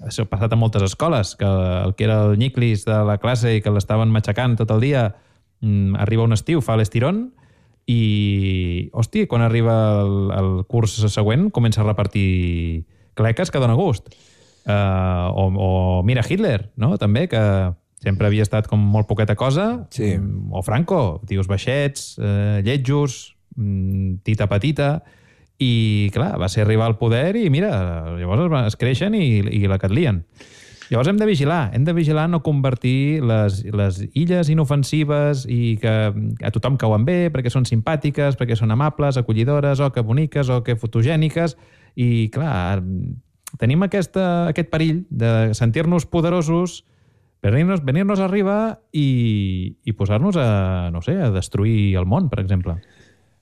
Speaker 4: això ha passat a moltes escoles, que el que era el nyiclis de la classe i que l'estaven matxacant tot el dia, arriba un estiu, fa l'estirón i, hòstia, quan arriba el, el curs següent comença a repartir cleques que dona gust. Uh, o, o mira Hitler, no? També, que sempre havia estat com molt poqueta cosa.
Speaker 8: Sí.
Speaker 4: O Franco, tios baixets, uh, lletjos, um, tita petita, i clar, va ser arribar al poder i mira, llavors es, es creixen i, i la catlien. Llavors hem de vigilar, hem de vigilar no convertir les, les illes inofensives i que a tothom cauen bé, perquè són simpàtiques, perquè són amables, acollidores, o que boniques, o que fotogèniques, i clar, tenim aquesta, aquest perill de sentir-nos poderosos, venir-nos venir-nos arriba i, i posar-nos a, no sé, a destruir el món, per exemple.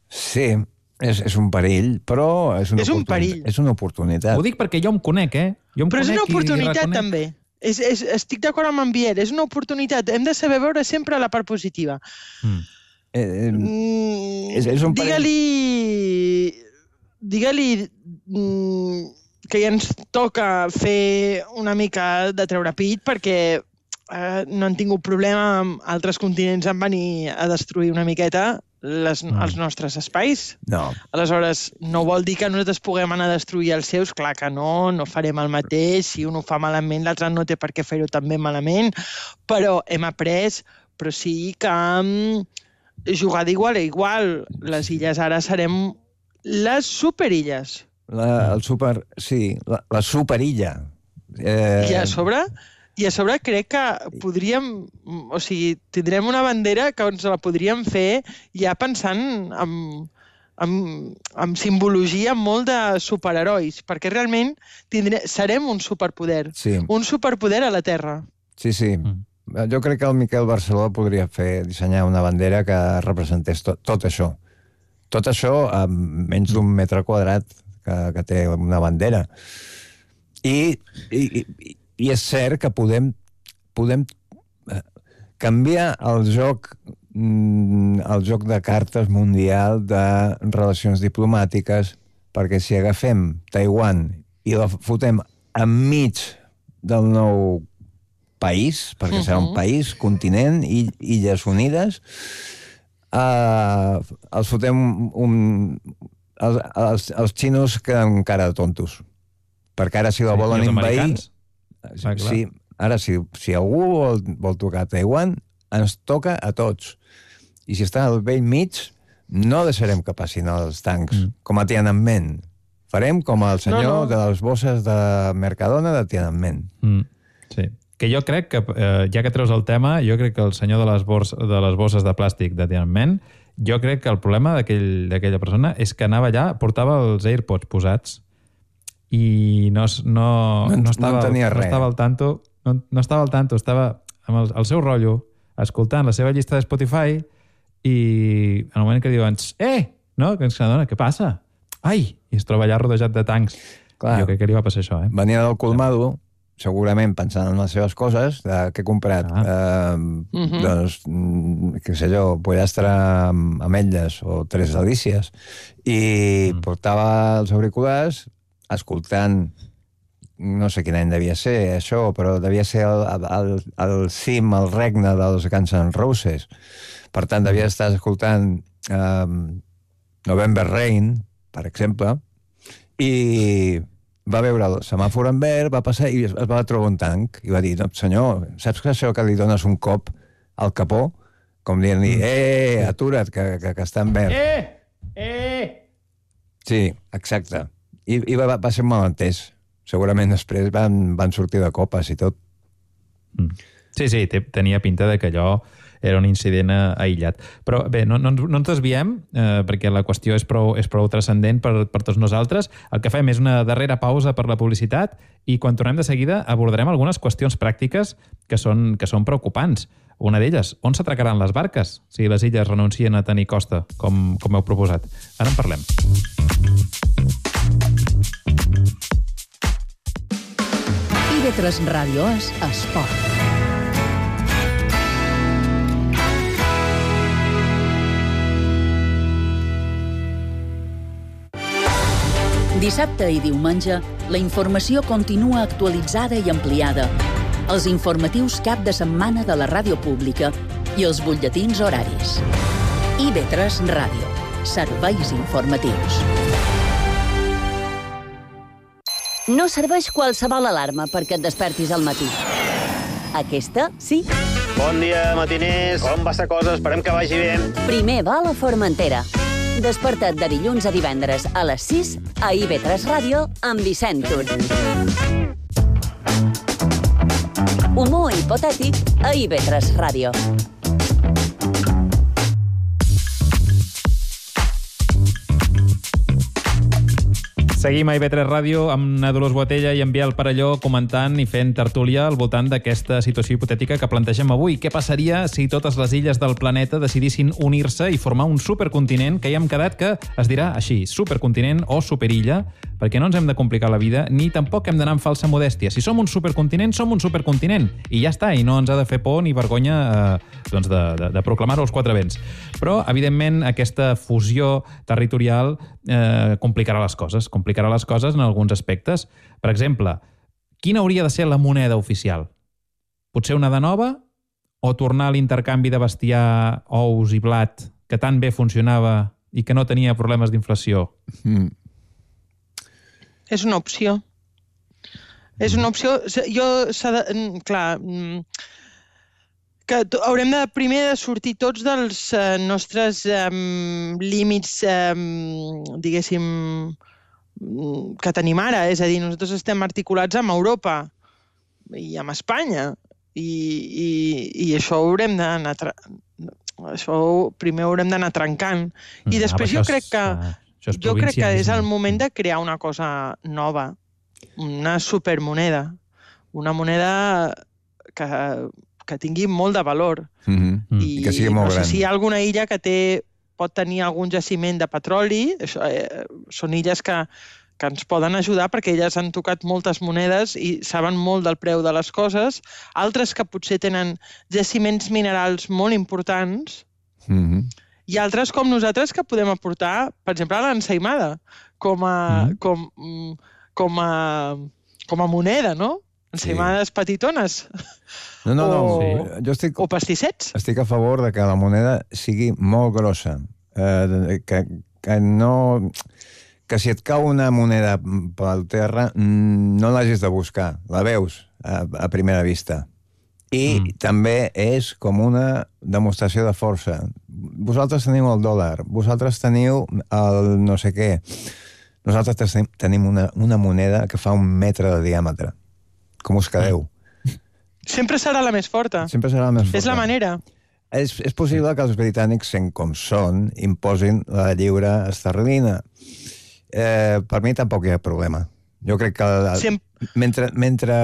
Speaker 8: Sí, és, és un perill, però és una,
Speaker 9: és un perill.
Speaker 8: És una oportunitat.
Speaker 4: Ho dic perquè jo em conec, eh? Jo em
Speaker 9: però
Speaker 4: conec
Speaker 9: és una oportunitat,
Speaker 4: reconec...
Speaker 9: també. És, és, estic d'acord amb en Biel, és una oportunitat. Hem de saber veure sempre la part positiva. Mm.
Speaker 8: Eh,
Speaker 9: mm,
Speaker 8: és, és un
Speaker 9: digue-li... Digue-li mm, que ja ens toca fer una mica de treure pit perquè eh, no han tingut problema amb altres continents en venir a destruir una miqueta les, mm. els nostres espais.
Speaker 8: No.
Speaker 9: Aleshores, no vol dir que nosaltres puguem anar a destruir els seus, clar que no, no farem el mateix, si un ho fa malament, l'altre no té per què fer-ho també malament, però hem après, però sí que um, jugar d'igual a igual. Les illes ara serem les superilles.
Speaker 8: La, el super... Sí, la, la superilla.
Speaker 9: Eh... I a sobre... I a sobre crec que podríem, o sigui, tindrem una bandera que ens la podríem fer ja pensant en, en, en simbologia molt de superherois, perquè realment tindrem, serem un superpoder,
Speaker 8: sí.
Speaker 9: un superpoder a la Terra.
Speaker 8: Sí, sí. Mm. Jo crec que el Miquel Barceló podria fer dissenyar una bandera que representés tot, tot això. Tot això a menys d'un metre quadrat que, que té una bandera. I... i, i I és cert que podem, podem canviar el joc, el joc de cartes mundial de relacions diplomàtiques, perquè si agafem Taiwan i la fotem enmig del nou país, perquè uh-huh. serà un país, continent, i Illes Unides, eh, els fotem un, els, els, els xinos queden cara de tontos. Perquè ara si la volen
Speaker 4: sí,
Speaker 8: invair... Ah, sí, ara, si, si algú vol, vol tocar Taiwan, ens toca a tots. I si està al vell mig, no deixarem que passin els tancs, mm. com a Tiananmen. Farem com el senyor no, no. de les bosses de Mercadona de Tiananmen.
Speaker 4: Mm. Sí. Que jo crec que, eh, ja que treus el tema, jo crec que el senyor de les, bors, de les bosses de plàstic de Tiananmen, jo crec que el problema d'aquella aquell, persona és que anava allà, portava els AirPods posats, i no, no, no, no, estava,
Speaker 8: no,
Speaker 4: no estava al tanto, no, no estava al tanto, estava amb el, el seu rotllo, escoltant la seva llista de Spotify i en el moment que diuen eh, no, que ens adona, què passa? Ai, i es troba allà rodejat de tancs. Clar, jo crec que li va passar això, eh?
Speaker 8: Venia del colmado, segurament pensant en les seves coses, de què he comprat. Ah. Eh, uh-huh. Doncs, què sé jo, pollastre amb ametlles o tres delícies. I mm. portava els auriculars escoltant, no sé quin any devia ser això, però devia ser el, el, el cim, el regne dels Guns N' Roses. Per tant, devia estar escoltant um, November Rain, per exemple, i va veure el semàfor en verd, va passar i es va trobar un tanc i va dir, no, senyor, saps que això que li dones un cop al capó? Com dient-li, eh, atura't, que, que, que està en verd.
Speaker 4: Eh, eh!
Speaker 8: Sí, exacte. I, i va, va ser mal entès. Segurament després van, van sortir de copes i tot.
Speaker 4: Sí, sí, tenia pinta de que allò era un incident aïllat. Però bé, no, no, no ens desviem, eh, perquè la qüestió és prou, és prou transcendent per, per tots nosaltres. El que fem és una darrera pausa per la publicitat i quan tornem de seguida abordarem algunes qüestions pràctiques que són, que són preocupants. Una d'elles, on s'atracaran les barques si les illes renuncien a tenir costa, com, com heu proposat? Ara en parlem.
Speaker 2: I ve tres Ràdio és Esport. Dissabte i diumenge, la informació continua actualitzada i ampliada. Els informatius cap de setmana de la ràdio pública i els butlletins horaris. I ve tres Ràdio. Serveis informatius.
Speaker 3: No serveix qualsevol alarma perquè et despertis al matí. Aquesta, sí.
Speaker 15: Bon dia, matiners. Com va la cosa? Esperem que vagi bé.
Speaker 3: Primer va a la Formentera. Desperta't de dilluns a divendres a les sis a I ve tres Ràdio amb Vicent Tur. Humor hipotètic a I ve tres Ràdio.
Speaker 4: Seguim a I ve tres Ràdio amb na Dolors Boatella i en Biel Parelló comentant i fent tertúlia al voltant d'aquesta situació hipotètica que plantegem avui. Què passaria si totes les illes del planeta decidissin unir-se i formar un supercontinent que ja hem quedat que es dirà així, supercontinent o superilla, perquè no ens hem de complicar la vida ni tampoc hem d'anar amb falsa modèstia. Si som un supercontinent, som un supercontinent i ja està, i no ens ha de fer por ni vergonya eh, doncs de, de, de proclamar-ho als quatre vents. Però, evidentment, aquesta fusió territorial eh, complicarà les coses, complicarà les coses en alguns aspectes. Per exemple, quina hauria de ser la moneda oficial? Potser una de nova o tornar a l'intercanvi de bestiar, ous i blat que tan bé funcionava i que no tenia problemes d'inflació?
Speaker 8: Mm.
Speaker 9: És una opció. És una opció... Jo, s'ha de, clar, que haurem de primer de sortir tots dels eh, nostres eh, límits, eh, diguéssim, que tenim ara. És a dir, nosaltres estem articulats amb Europa i amb Espanya. I, i, i això ho haurem d'anar... Això primer haurem d'anar trencant. I
Speaker 4: Mm,
Speaker 9: després
Speaker 4: ah,
Speaker 9: jo
Speaker 4: això
Speaker 9: crec
Speaker 4: és,
Speaker 9: que
Speaker 4: uh, això és
Speaker 9: jo crec que és
Speaker 4: provincianisme.
Speaker 9: el moment de crear una cosa nova, una supermoneda, una moneda que, que tingui molt de valor.
Speaker 8: Mm-hmm.
Speaker 9: I,
Speaker 8: I que sigui molt
Speaker 9: no sé
Speaker 8: gran.
Speaker 9: si hi ha alguna illa que té, pot tenir algun jaciment de petroli, això, eh, són illes que, que ens poden ajudar perquè elles han tocat moltes monedes i saben molt del preu de les coses, altres que potser tenen jaciments minerals molt importants,
Speaker 8: Mm-hmm.
Speaker 9: i altres com nosaltres que podem aportar, per exemple, a l'ensaïmada, com a,
Speaker 8: Mm.
Speaker 9: com, com a, com a moneda, no? Ensaïmades petitones.
Speaker 8: No, no, no.
Speaker 9: O-
Speaker 8: Jo estic,
Speaker 9: o pastissets.
Speaker 8: Estic a favor de que la moneda sigui molt grossa. Eh, que, que no... Que si et cau una moneda pel terra, no l'hagis de buscar. La veus a, a primera vista. I mm. també és com una demostració de força. Vosaltres teniu el dòlar, vosaltres teniu el no sé què. Nosaltres tenim una, una moneda que fa un metre de diàmetre. Com us quedeu?
Speaker 9: Sempre serà la més forta.
Speaker 8: Sempre serà la més forta.
Speaker 9: És la manera.
Speaker 8: És, és possible que els britànics, sent com són, imposin la lliura esterlina. Eh, per mi tampoc hi ha problema. Jo crec que
Speaker 9: Sem-
Speaker 8: mentre, mentre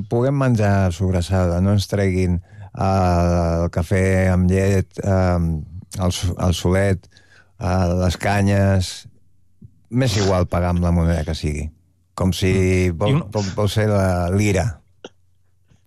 Speaker 8: puguem menjar sobrassada, no ens treguin eh, el cafè amb llet, eh, el, el solet, eh, les canyes, m'és igual pagar amb la moneda que sigui. Com si vol, vol, vol ser la lira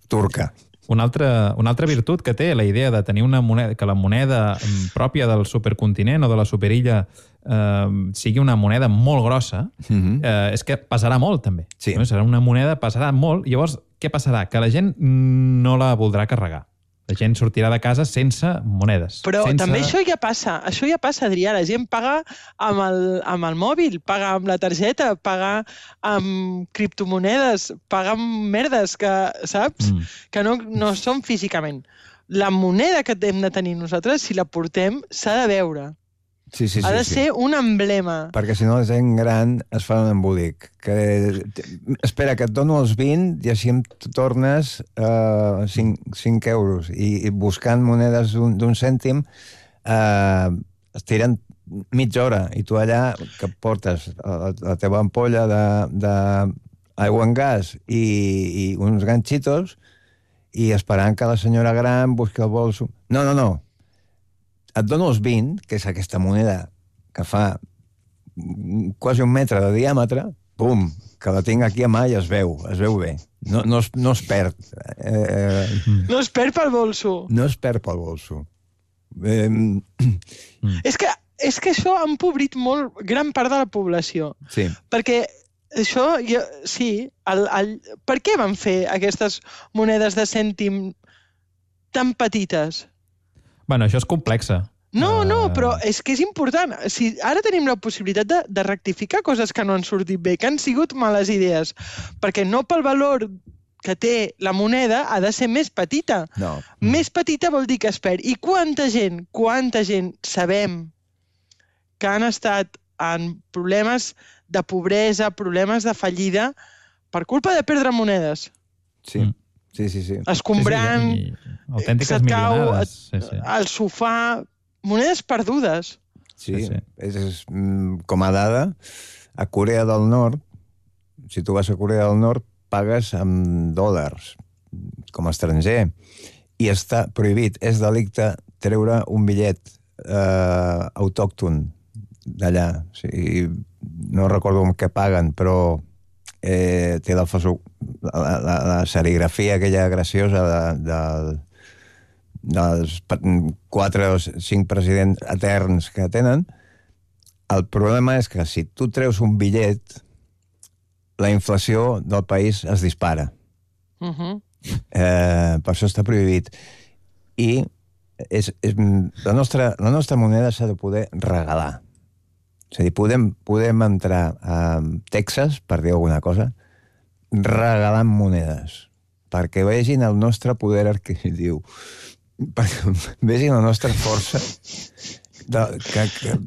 Speaker 8: turca.
Speaker 4: Una altra, una altra virtut que té la idea de tenir una moneda, que la moneda pròpia del supercontinent o de la superilla eh, sigui una moneda molt grossa,
Speaker 8: Mm-hmm.
Speaker 4: eh, és que pesarà molt, també.
Speaker 8: Sí.
Speaker 4: No? Serà una moneda, pesarà molt. Llavors, què passarà? Que la gent no la voldrà carregar. La gent sortirà de casa sense monedes.
Speaker 9: Però
Speaker 4: sense...
Speaker 9: també això ja passa. Això ja passa, Adrià. La gent paga amb el, amb el mòbil, paga amb la targeta, paga amb criptomonedes, paga amb merdes que, saps? Mm. Que no, no són físicament. La moneda que hem de tenir nosaltres, si la portem, s'ha de veure.
Speaker 8: Sí, sí, sí,
Speaker 9: ha de
Speaker 8: sí.
Speaker 9: ser un emblema.
Speaker 8: Perquè si no la gent gran es fa un embolic. Que, espera, que et dono els vint i així em tornes uh, cinc euros. I, i buscant monedes d'un cèntim uh, es tiren mitja hora i tu allà que portes la, la teva ampolla d'aigua en gas i, i uns ganxitos i esperant que la senyora gran busqui el bolso. No, no, no. Et dono els vint, que és aquesta moneda que fa quasi un metre de diàmetre, pum, que la tinc aquí a mà i es veu, es veu bé. No, no, es, no es perd. Eh,
Speaker 9: no es perd pel bolso.
Speaker 8: No es perd pel bolso. Eh,
Speaker 4: mm.
Speaker 9: És que, és que això ha empobrit molt gran part de la població.
Speaker 8: Sí.
Speaker 9: Perquè això, jo, sí, el, el, per què van fer aquestes monedes de cèntim tan petites?
Speaker 4: Bueno, això és complexa.
Speaker 9: No, no, però és que és important. Si ara tenim la possibilitat de, de rectificar coses que no han sortit bé, que han sigut males idees, perquè no pel valor que té la moneda ha de ser més petita.
Speaker 8: No.
Speaker 9: Més petita vol dir que es perd. I quanta gent, quanta gent sabem que han estat en problemes de pobresa, problemes de fallida, per culpa de perdre monedes.
Speaker 8: Sí. Sí, sí, sí.
Speaker 9: Escombrant,
Speaker 4: sí, sí, autèntiques
Speaker 9: se't cau
Speaker 4: milionades. Sí, sí.
Speaker 9: al sofà, monedes perdudes.
Speaker 8: Sí, sí, sí. És, és, com a dada, a Corea del Nord, si tu vas a Corea del Nord, pagues amb dòlars, com a estranger, i està prohibit, és delicte treure un bitllet eh, autòcton d'allà. O sigui, no recordo amb què paguen, però eh, té la, la, la, la serigrafia aquella graciosa de, de, dels quatre o cinc presidents eterns que tenen. El problema és que si tu treus un bitllet, la inflació del país es dispara.
Speaker 9: Uh-huh.
Speaker 8: Eh, per això està prohibit. I és, és, la, nostra, la nostra moneda s'ha de poder regalar. És a dir, podem, podem entrar a Texas, per dir alguna cosa, regalant monedes, perquè vegin el nostre poder adquisitiu, perquè vegin la nostra força de, que, que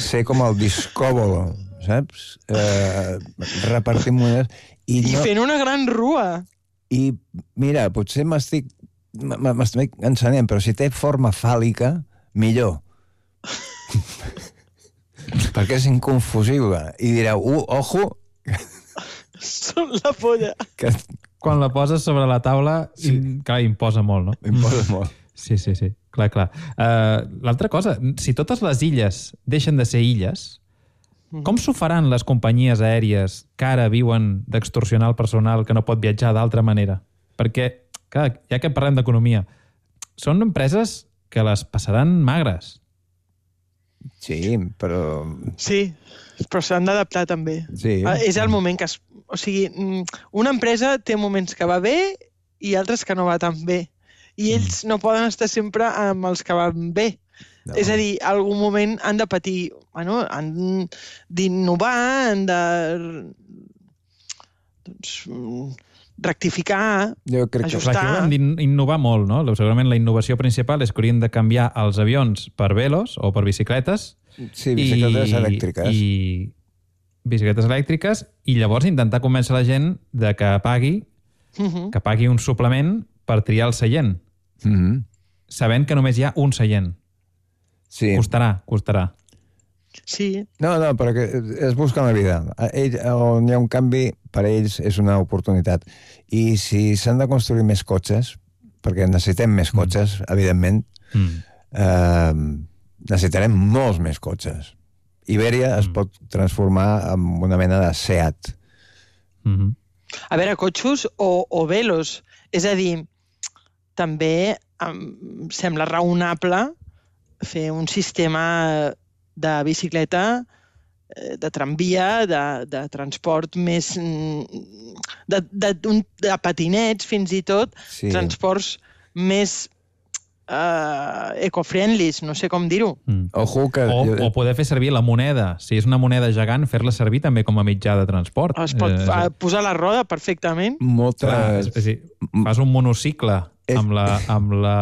Speaker 8: ser com el discòbolo, saps? Eh, repartir monedes. I,
Speaker 9: I
Speaker 8: no...
Speaker 9: fent una gran rua. I,
Speaker 8: mira, potser m'estic m'estic encenent, però si té forma fàl·lica, millor. Perquè és inconfusible. I direu, uh, ojo...
Speaker 9: Són la polla.
Speaker 8: Que...
Speaker 4: Quan la poses sobre la taula, sí. im, clar, imposa molt, no?
Speaker 8: Imposa molt.
Speaker 4: Sí, sí, sí. Clar, clar. Uh, L'altra cosa, si totes les illes deixen de ser illes, com s'ho faran les companyies aèries que ara viuen d'extorsionar el personal que no pot viatjar d'altra manera? Perquè, clar, ja que parlem d'economia, són empreses que les passaran magres.
Speaker 8: Sí, però...
Speaker 9: Sí, però s'han d'adaptar també.
Speaker 8: Sí.
Speaker 9: És el moment que... Es... O sigui, una empresa té moments que va bé i altres que no va tan bé. I ells no poden estar sempre amb els que van bé. No. És a dir, algun moment han de patir, bueno, han d'innovar, han de doncs, rectificar,
Speaker 4: jo crec
Speaker 9: ajustar.
Speaker 4: Que hauran d'innovar molt, no? Segurament la innovació principal és que haurien de canviar els avions per velos o per bicicletes.
Speaker 8: Sí, bicicletes
Speaker 4: i,
Speaker 8: elèctriques.
Speaker 4: I bicicletes elèctriques i llavors intentar convèncer la gent de que pagui, uh-huh. que pagui un suplement per triar el seient.
Speaker 8: Uh-huh.
Speaker 4: Sabent que només hi ha un seient.
Speaker 8: Sí.
Speaker 4: Costarà, costarà.
Speaker 9: Sí.
Speaker 8: No, no, perquè es busca la vida. Ell, on hi ha un canvi, per ells és una oportunitat. I si s'han de construir més cotxes, perquè necessitem més cotxes, mm. evidentment, mm. Eh, necessitarem molts més cotxes. Ibèria mm. es pot transformar en una mena de Seat.
Speaker 9: Mm-hmm. A veure, cotxos o, o velos. És a dir, també em sembla raonable fer un sistema de bicicleta, de tramvia, de, de transport més... De, de, de patinets, fins i tot, sí. Transports més uh, eco-friendlies, no sé com dir-ho.
Speaker 4: Mm. Ojo que... O, o poder fer servir la moneda. Si és una moneda gegant, fer-la servir també com a mitjà de transport.
Speaker 9: Es pot eh, posar la roda perfectament.
Speaker 8: Molta...
Speaker 4: Clar, és, és dir, fas un monocicle és... amb, la, amb, la,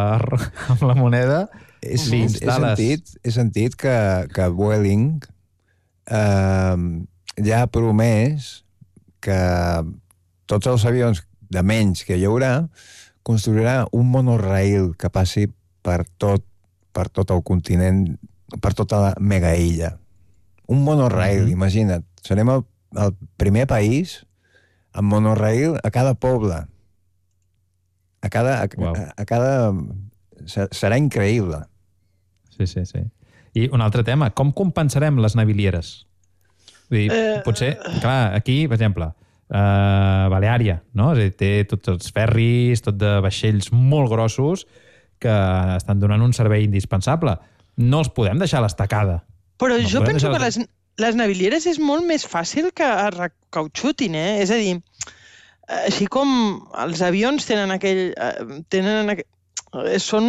Speaker 4: amb la moneda...
Speaker 8: He, he, sentit, he sentit que, que Vueling eh, ja ha promès que tots els avions de menys que hi haurà construirà un monorail que passi per tot, per tot el continent, per tota la megailla. Un monorail, mm-hmm. imagina't. Serem el, el primer país amb monorail a cada poble. A cada... A, wow. a, a cada serà increïble.
Speaker 4: Sí, sí, sí. I un altre tema, com compensarem les navilieres? Vull dir, eh... potser, clar, aquí, per exemple, uh, Baleària, no? És a dir, té tots els ferris, tot de vaixells molt grossos que estan donant un servei indispensable. No els podem deixar a l'estacada.
Speaker 9: Però
Speaker 4: no
Speaker 9: jo penso que
Speaker 4: les...
Speaker 9: les, les navilieres és molt més fàcil que recauxutin, eh? És a dir, així com els avions tenen aquell... tenen aquell són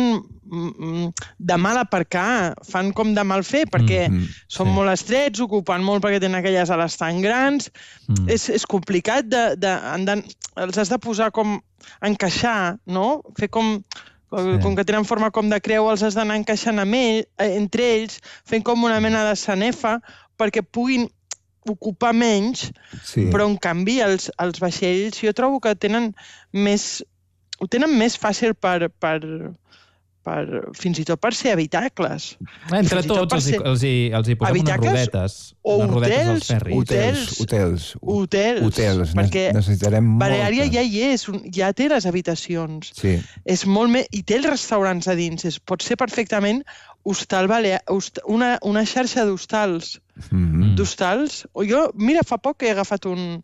Speaker 9: de mal aparcar, fan com de mal fer, perquè mm, mm, són sí. molt estrets, ocupen molt perquè tenen aquelles ales tan grans. Mm. És, és complicat, de, de, de, els has de posar com, encaixar, no? Fer com, sí. com que tenen forma com de creu, els has d'anar encaixant amb ell, entre ells, fent com una mena de sanefa, perquè puguin ocupar menys, sí. però en canvi els, els vaixells jo trobo que tenen més... ho tenen més fàcil per, per, per, fins i tot per ser habitacles.
Speaker 4: Entre tots els, ser... els, hi, els hi posem unes rodetes.
Speaker 9: O
Speaker 4: unes rodetes
Speaker 9: hotels,
Speaker 4: als ferris.
Speaker 8: Hotels. Hotels.
Speaker 9: Hotels.
Speaker 8: Hotels.
Speaker 9: Perquè
Speaker 8: necessitarem
Speaker 9: Baleària
Speaker 8: molta.
Speaker 9: ja hi és, ja té les habitacions.
Speaker 8: Sí.
Speaker 9: És molt més... I té els restaurants a dins. És, pot ser perfectament hostal balear, host, una, una xarxa d'hostals.
Speaker 8: Mm-hmm.
Speaker 9: D'hostals. O jo, mira, fa poc he agafat un...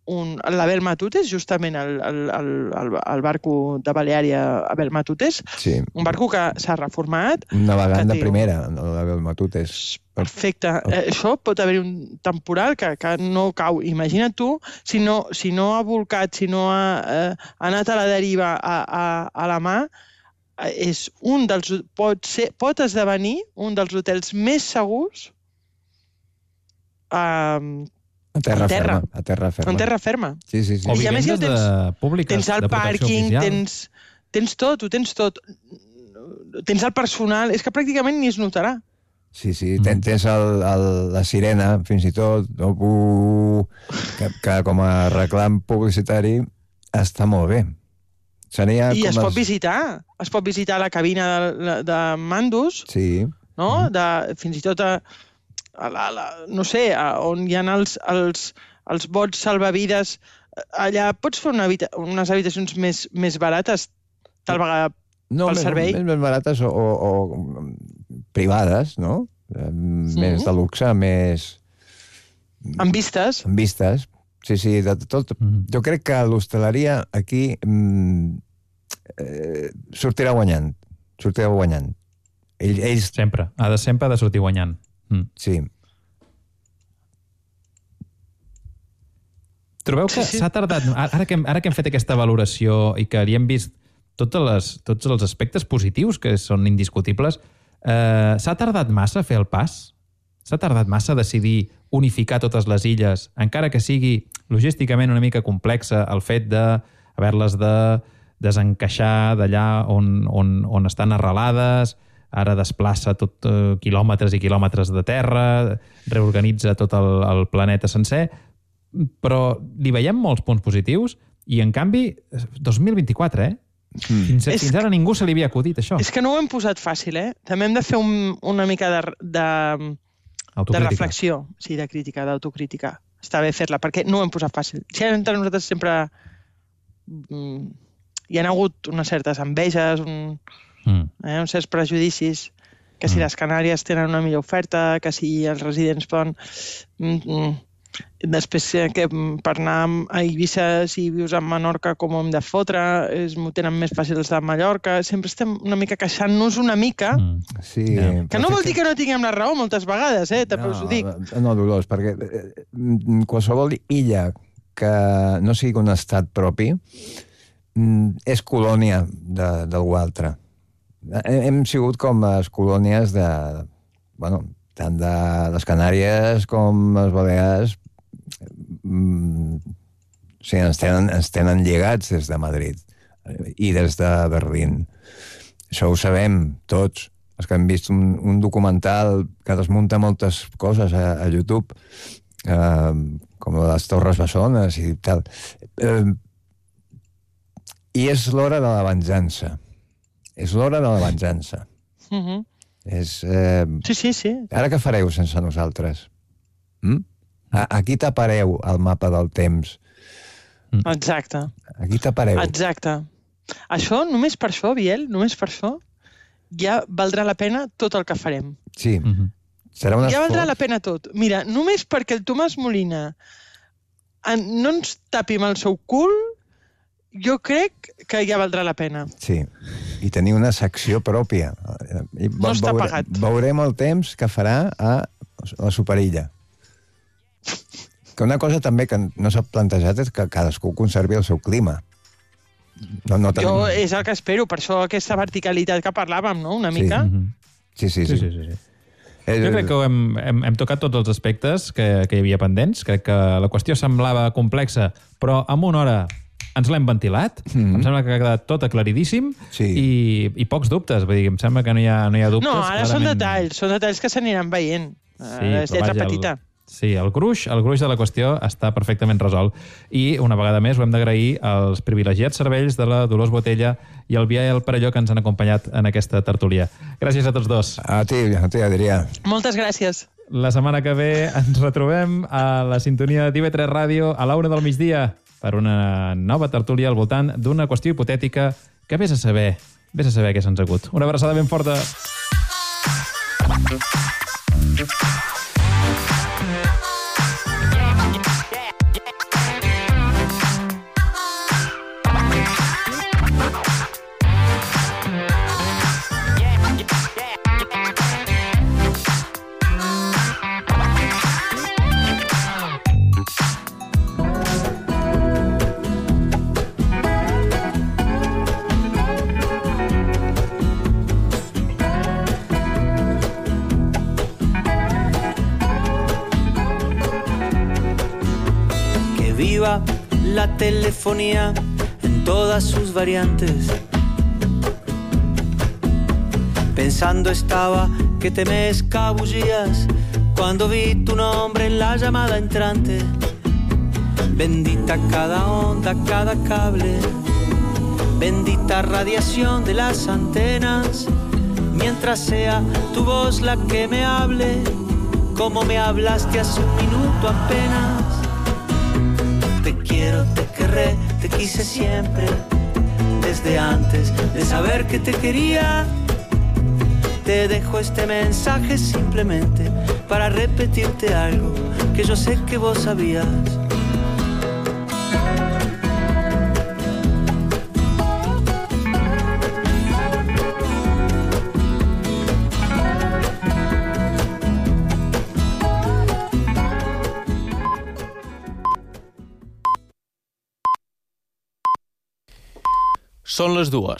Speaker 9: un l'Abel Matutes, justament el, el, el, el, el barco de Baleària Abel Matutes,
Speaker 8: sí.
Speaker 9: Un barco que s'ha reformat.
Speaker 8: Un navegant de
Speaker 9: té...
Speaker 8: primera, l'Abel Matutes.
Speaker 9: Perfecte. Eh, això pot haver un temporal que, que no cau. Imagina't tu, si no, si no ha volcat, si no ha, eh, ha anat a la deriva a, a, a la mà, eh, és un dels, pot, ser, pot esdevenir un dels hotels més segurs eh,
Speaker 8: A terra,
Speaker 9: a terra.
Speaker 8: ferma. A terra ferma.
Speaker 9: En terra ferma.
Speaker 8: Sí, sí, sí.
Speaker 4: O
Speaker 9: I a més ja
Speaker 4: vivendes
Speaker 9: tens,
Speaker 4: de públiques,
Speaker 9: tens el
Speaker 4: de protecció
Speaker 9: pàrquing,
Speaker 4: oficial.
Speaker 9: tens, tens tot, ho tens tot. Tens el personal, és que pràcticament ni es notarà.
Speaker 8: Sí, sí, ten, tens el, el, la sirena, fins i tot, no? uh, que, que com a reclam publicitari està molt bé. Seria
Speaker 9: I
Speaker 8: com
Speaker 9: es
Speaker 8: els...
Speaker 9: pot visitar. Es pot visitar la cabina de, de mandos,
Speaker 8: sí.
Speaker 9: no? De, fins i tot a, a la, la, no sé, a, on hi ha els, els, els bots salvavides. Allà pots fer una habita unes habitacions més, més barates, tal vegada
Speaker 8: no,
Speaker 9: pel
Speaker 8: més,
Speaker 9: servei.
Speaker 8: Més, més barates o, o, o privades, no? Sí. Més de luxe, més...
Speaker 9: Amb vistes.
Speaker 8: Amb vistes, sí, sí, de tot. Mm. Jo crec que l'hostaleria aquí mm, eh, sortirà guanyant. Sortirà guanyant. Ell, ells...
Speaker 4: Sempre. Ha de sempre ha de sortir guanyant. Mm.
Speaker 8: Sí.
Speaker 4: Trobeu que s'ha sí, sí. tardat... Ara que, hem, ara que hem fet aquesta valoració i que li hem vist totes les, tots els aspectes positius que són indiscutibles, eh, s'ha tardat massa a fer el pas? S'ha tardat massa a decidir unificar totes les illes, encara que sigui logísticament una mica complexa el fet d'haver-les de desencaixar d'allà on, on, on estan arrelades, ara desplaça tot eh, quilòmetres i quilòmetres de terra, reorganitza tot el, el planeta sencer, però li veiem molts punts positius i, en canvi, dos mil vint-i-quatre, eh? Mm. Fins, a, fins ara ningú se li havia acudit, això.
Speaker 9: És que no ho hem posat fàcil, eh? També hem de fer un, una mica de, de, de reflexió, sí, de crítica, d'autocrítica. Està bé fer-la, perquè no ho hem posat fàcil. Si entre nosaltres sempre mm, hi ha hagut unes certes enveges, un, mm. eh, uns certs prejudicis, que si mm. les Canàries tenen una millor oferta, que si els residents poden... Mm, mm, després que per anar a Eivissa, si vius a Menorca, com ho hem de fotre, es, m'ho tenen més fàcil els de Mallorca, sempre estem una mica queixant-nos una mica,
Speaker 8: mm. sí,
Speaker 9: yeah. que no vol dir que no tinguem la raó moltes vegades, eh? també no, us ho dic.
Speaker 8: No, Dolors, perquè qualsevol illa que no sigui un estat propi és colònia de, d'algú altre. Hem sigut com les colònies de... Bueno, tant de les Canàries com les Balears, mm, sí, ens tenen, ens tenen lligats des de Madrid i des de Berlín. Això ho sabem tots. Els que hem vist un, un documental que desmunta moltes coses a, a YouTube, eh, com les Torres Bessones i tal. Eh, I és l'hora de la venjança. És l'hora de la venjança.
Speaker 9: Mhm.
Speaker 8: És, eh...
Speaker 9: Sí, sí, sí.
Speaker 8: Ara què fareu sense nosaltres? Mm? A aquí tapareu el mapa del temps.
Speaker 9: Exacte.
Speaker 8: Aquí tapareu.
Speaker 9: Exacte. Això, només per això, Biel, només per això, ja valdrà la pena tot el que farem.
Speaker 8: Sí. Mm-hmm. Serà un
Speaker 9: ja
Speaker 8: esforç.
Speaker 9: valdrà la pena tot. Mira, només perquè el Tomàs Molina no ens tapi amb el seu cul, jo crec que ja valdrà la pena.
Speaker 8: Sí, i tenir una secció pròpia. I
Speaker 9: no està
Speaker 8: veure,
Speaker 9: pagat.
Speaker 8: Veurem el temps que farà a la Superilla. Que una cosa també que no s'ha plantejat és que cadascú conservi el seu clima. No, no tenim...
Speaker 9: Jo és el que espero, per això aquesta verticalitat que parlàvem, no?, una mica.
Speaker 8: Sí, sí, sí.
Speaker 4: sí, sí, sí, sí. Jo crec que hem, hem, hem tocat tots els aspectes que, que hi havia pendents. Crec que la qüestió semblava complexa, però en una hora ens l'hem ventilat. Mm-hmm. Em sembla que ha quedat tot aclaridíssim sí. i, i pocs dubtes. Vull dir, em sembla que no hi ha, no hi ha dubtes.
Speaker 9: No, ara
Speaker 4: clarament...
Speaker 9: són detalls, són detalls que s'aniran veient.
Speaker 4: Sí,
Speaker 9: és lletra
Speaker 4: vaja,
Speaker 9: petita.
Speaker 4: Sí, el gruix, el gruix de la qüestió està perfectament resolt. I, una vegada més, ho hem d'agrair als privilegiats cervells de la Dolors Botella i el Biel Parelló que ens han acompanyat en aquesta tertúlia. Gràcies a tots dos.
Speaker 8: A ti, a ti, Adrià.
Speaker 9: Moltes gràcies.
Speaker 4: La setmana que ve ens retrobem a la sintonia d'I V tres Ràdio a l'una del migdia per una nova tertúlia al voltant d'una qüestió hipotètica que vés a saber, vés a saber què se'ns ha agut. Una abraçada ben forta.
Speaker 16: La telefonía en todas sus variantes. Pensando estaba que te me escabullías cuando vi tu nombre en la llamada entrante. Bendita cada onda, cada cable, bendita radiación de las antenas, mientras sea tu voz la que me hable, como me hablaste hace un minuto apenas. Te quiero, te querré, te quise siempre, desde antes de saber que te quería. Te dejo este mensaje simplemente para repetirte algo que yo sé que vos sabías.
Speaker 17: Són les dues.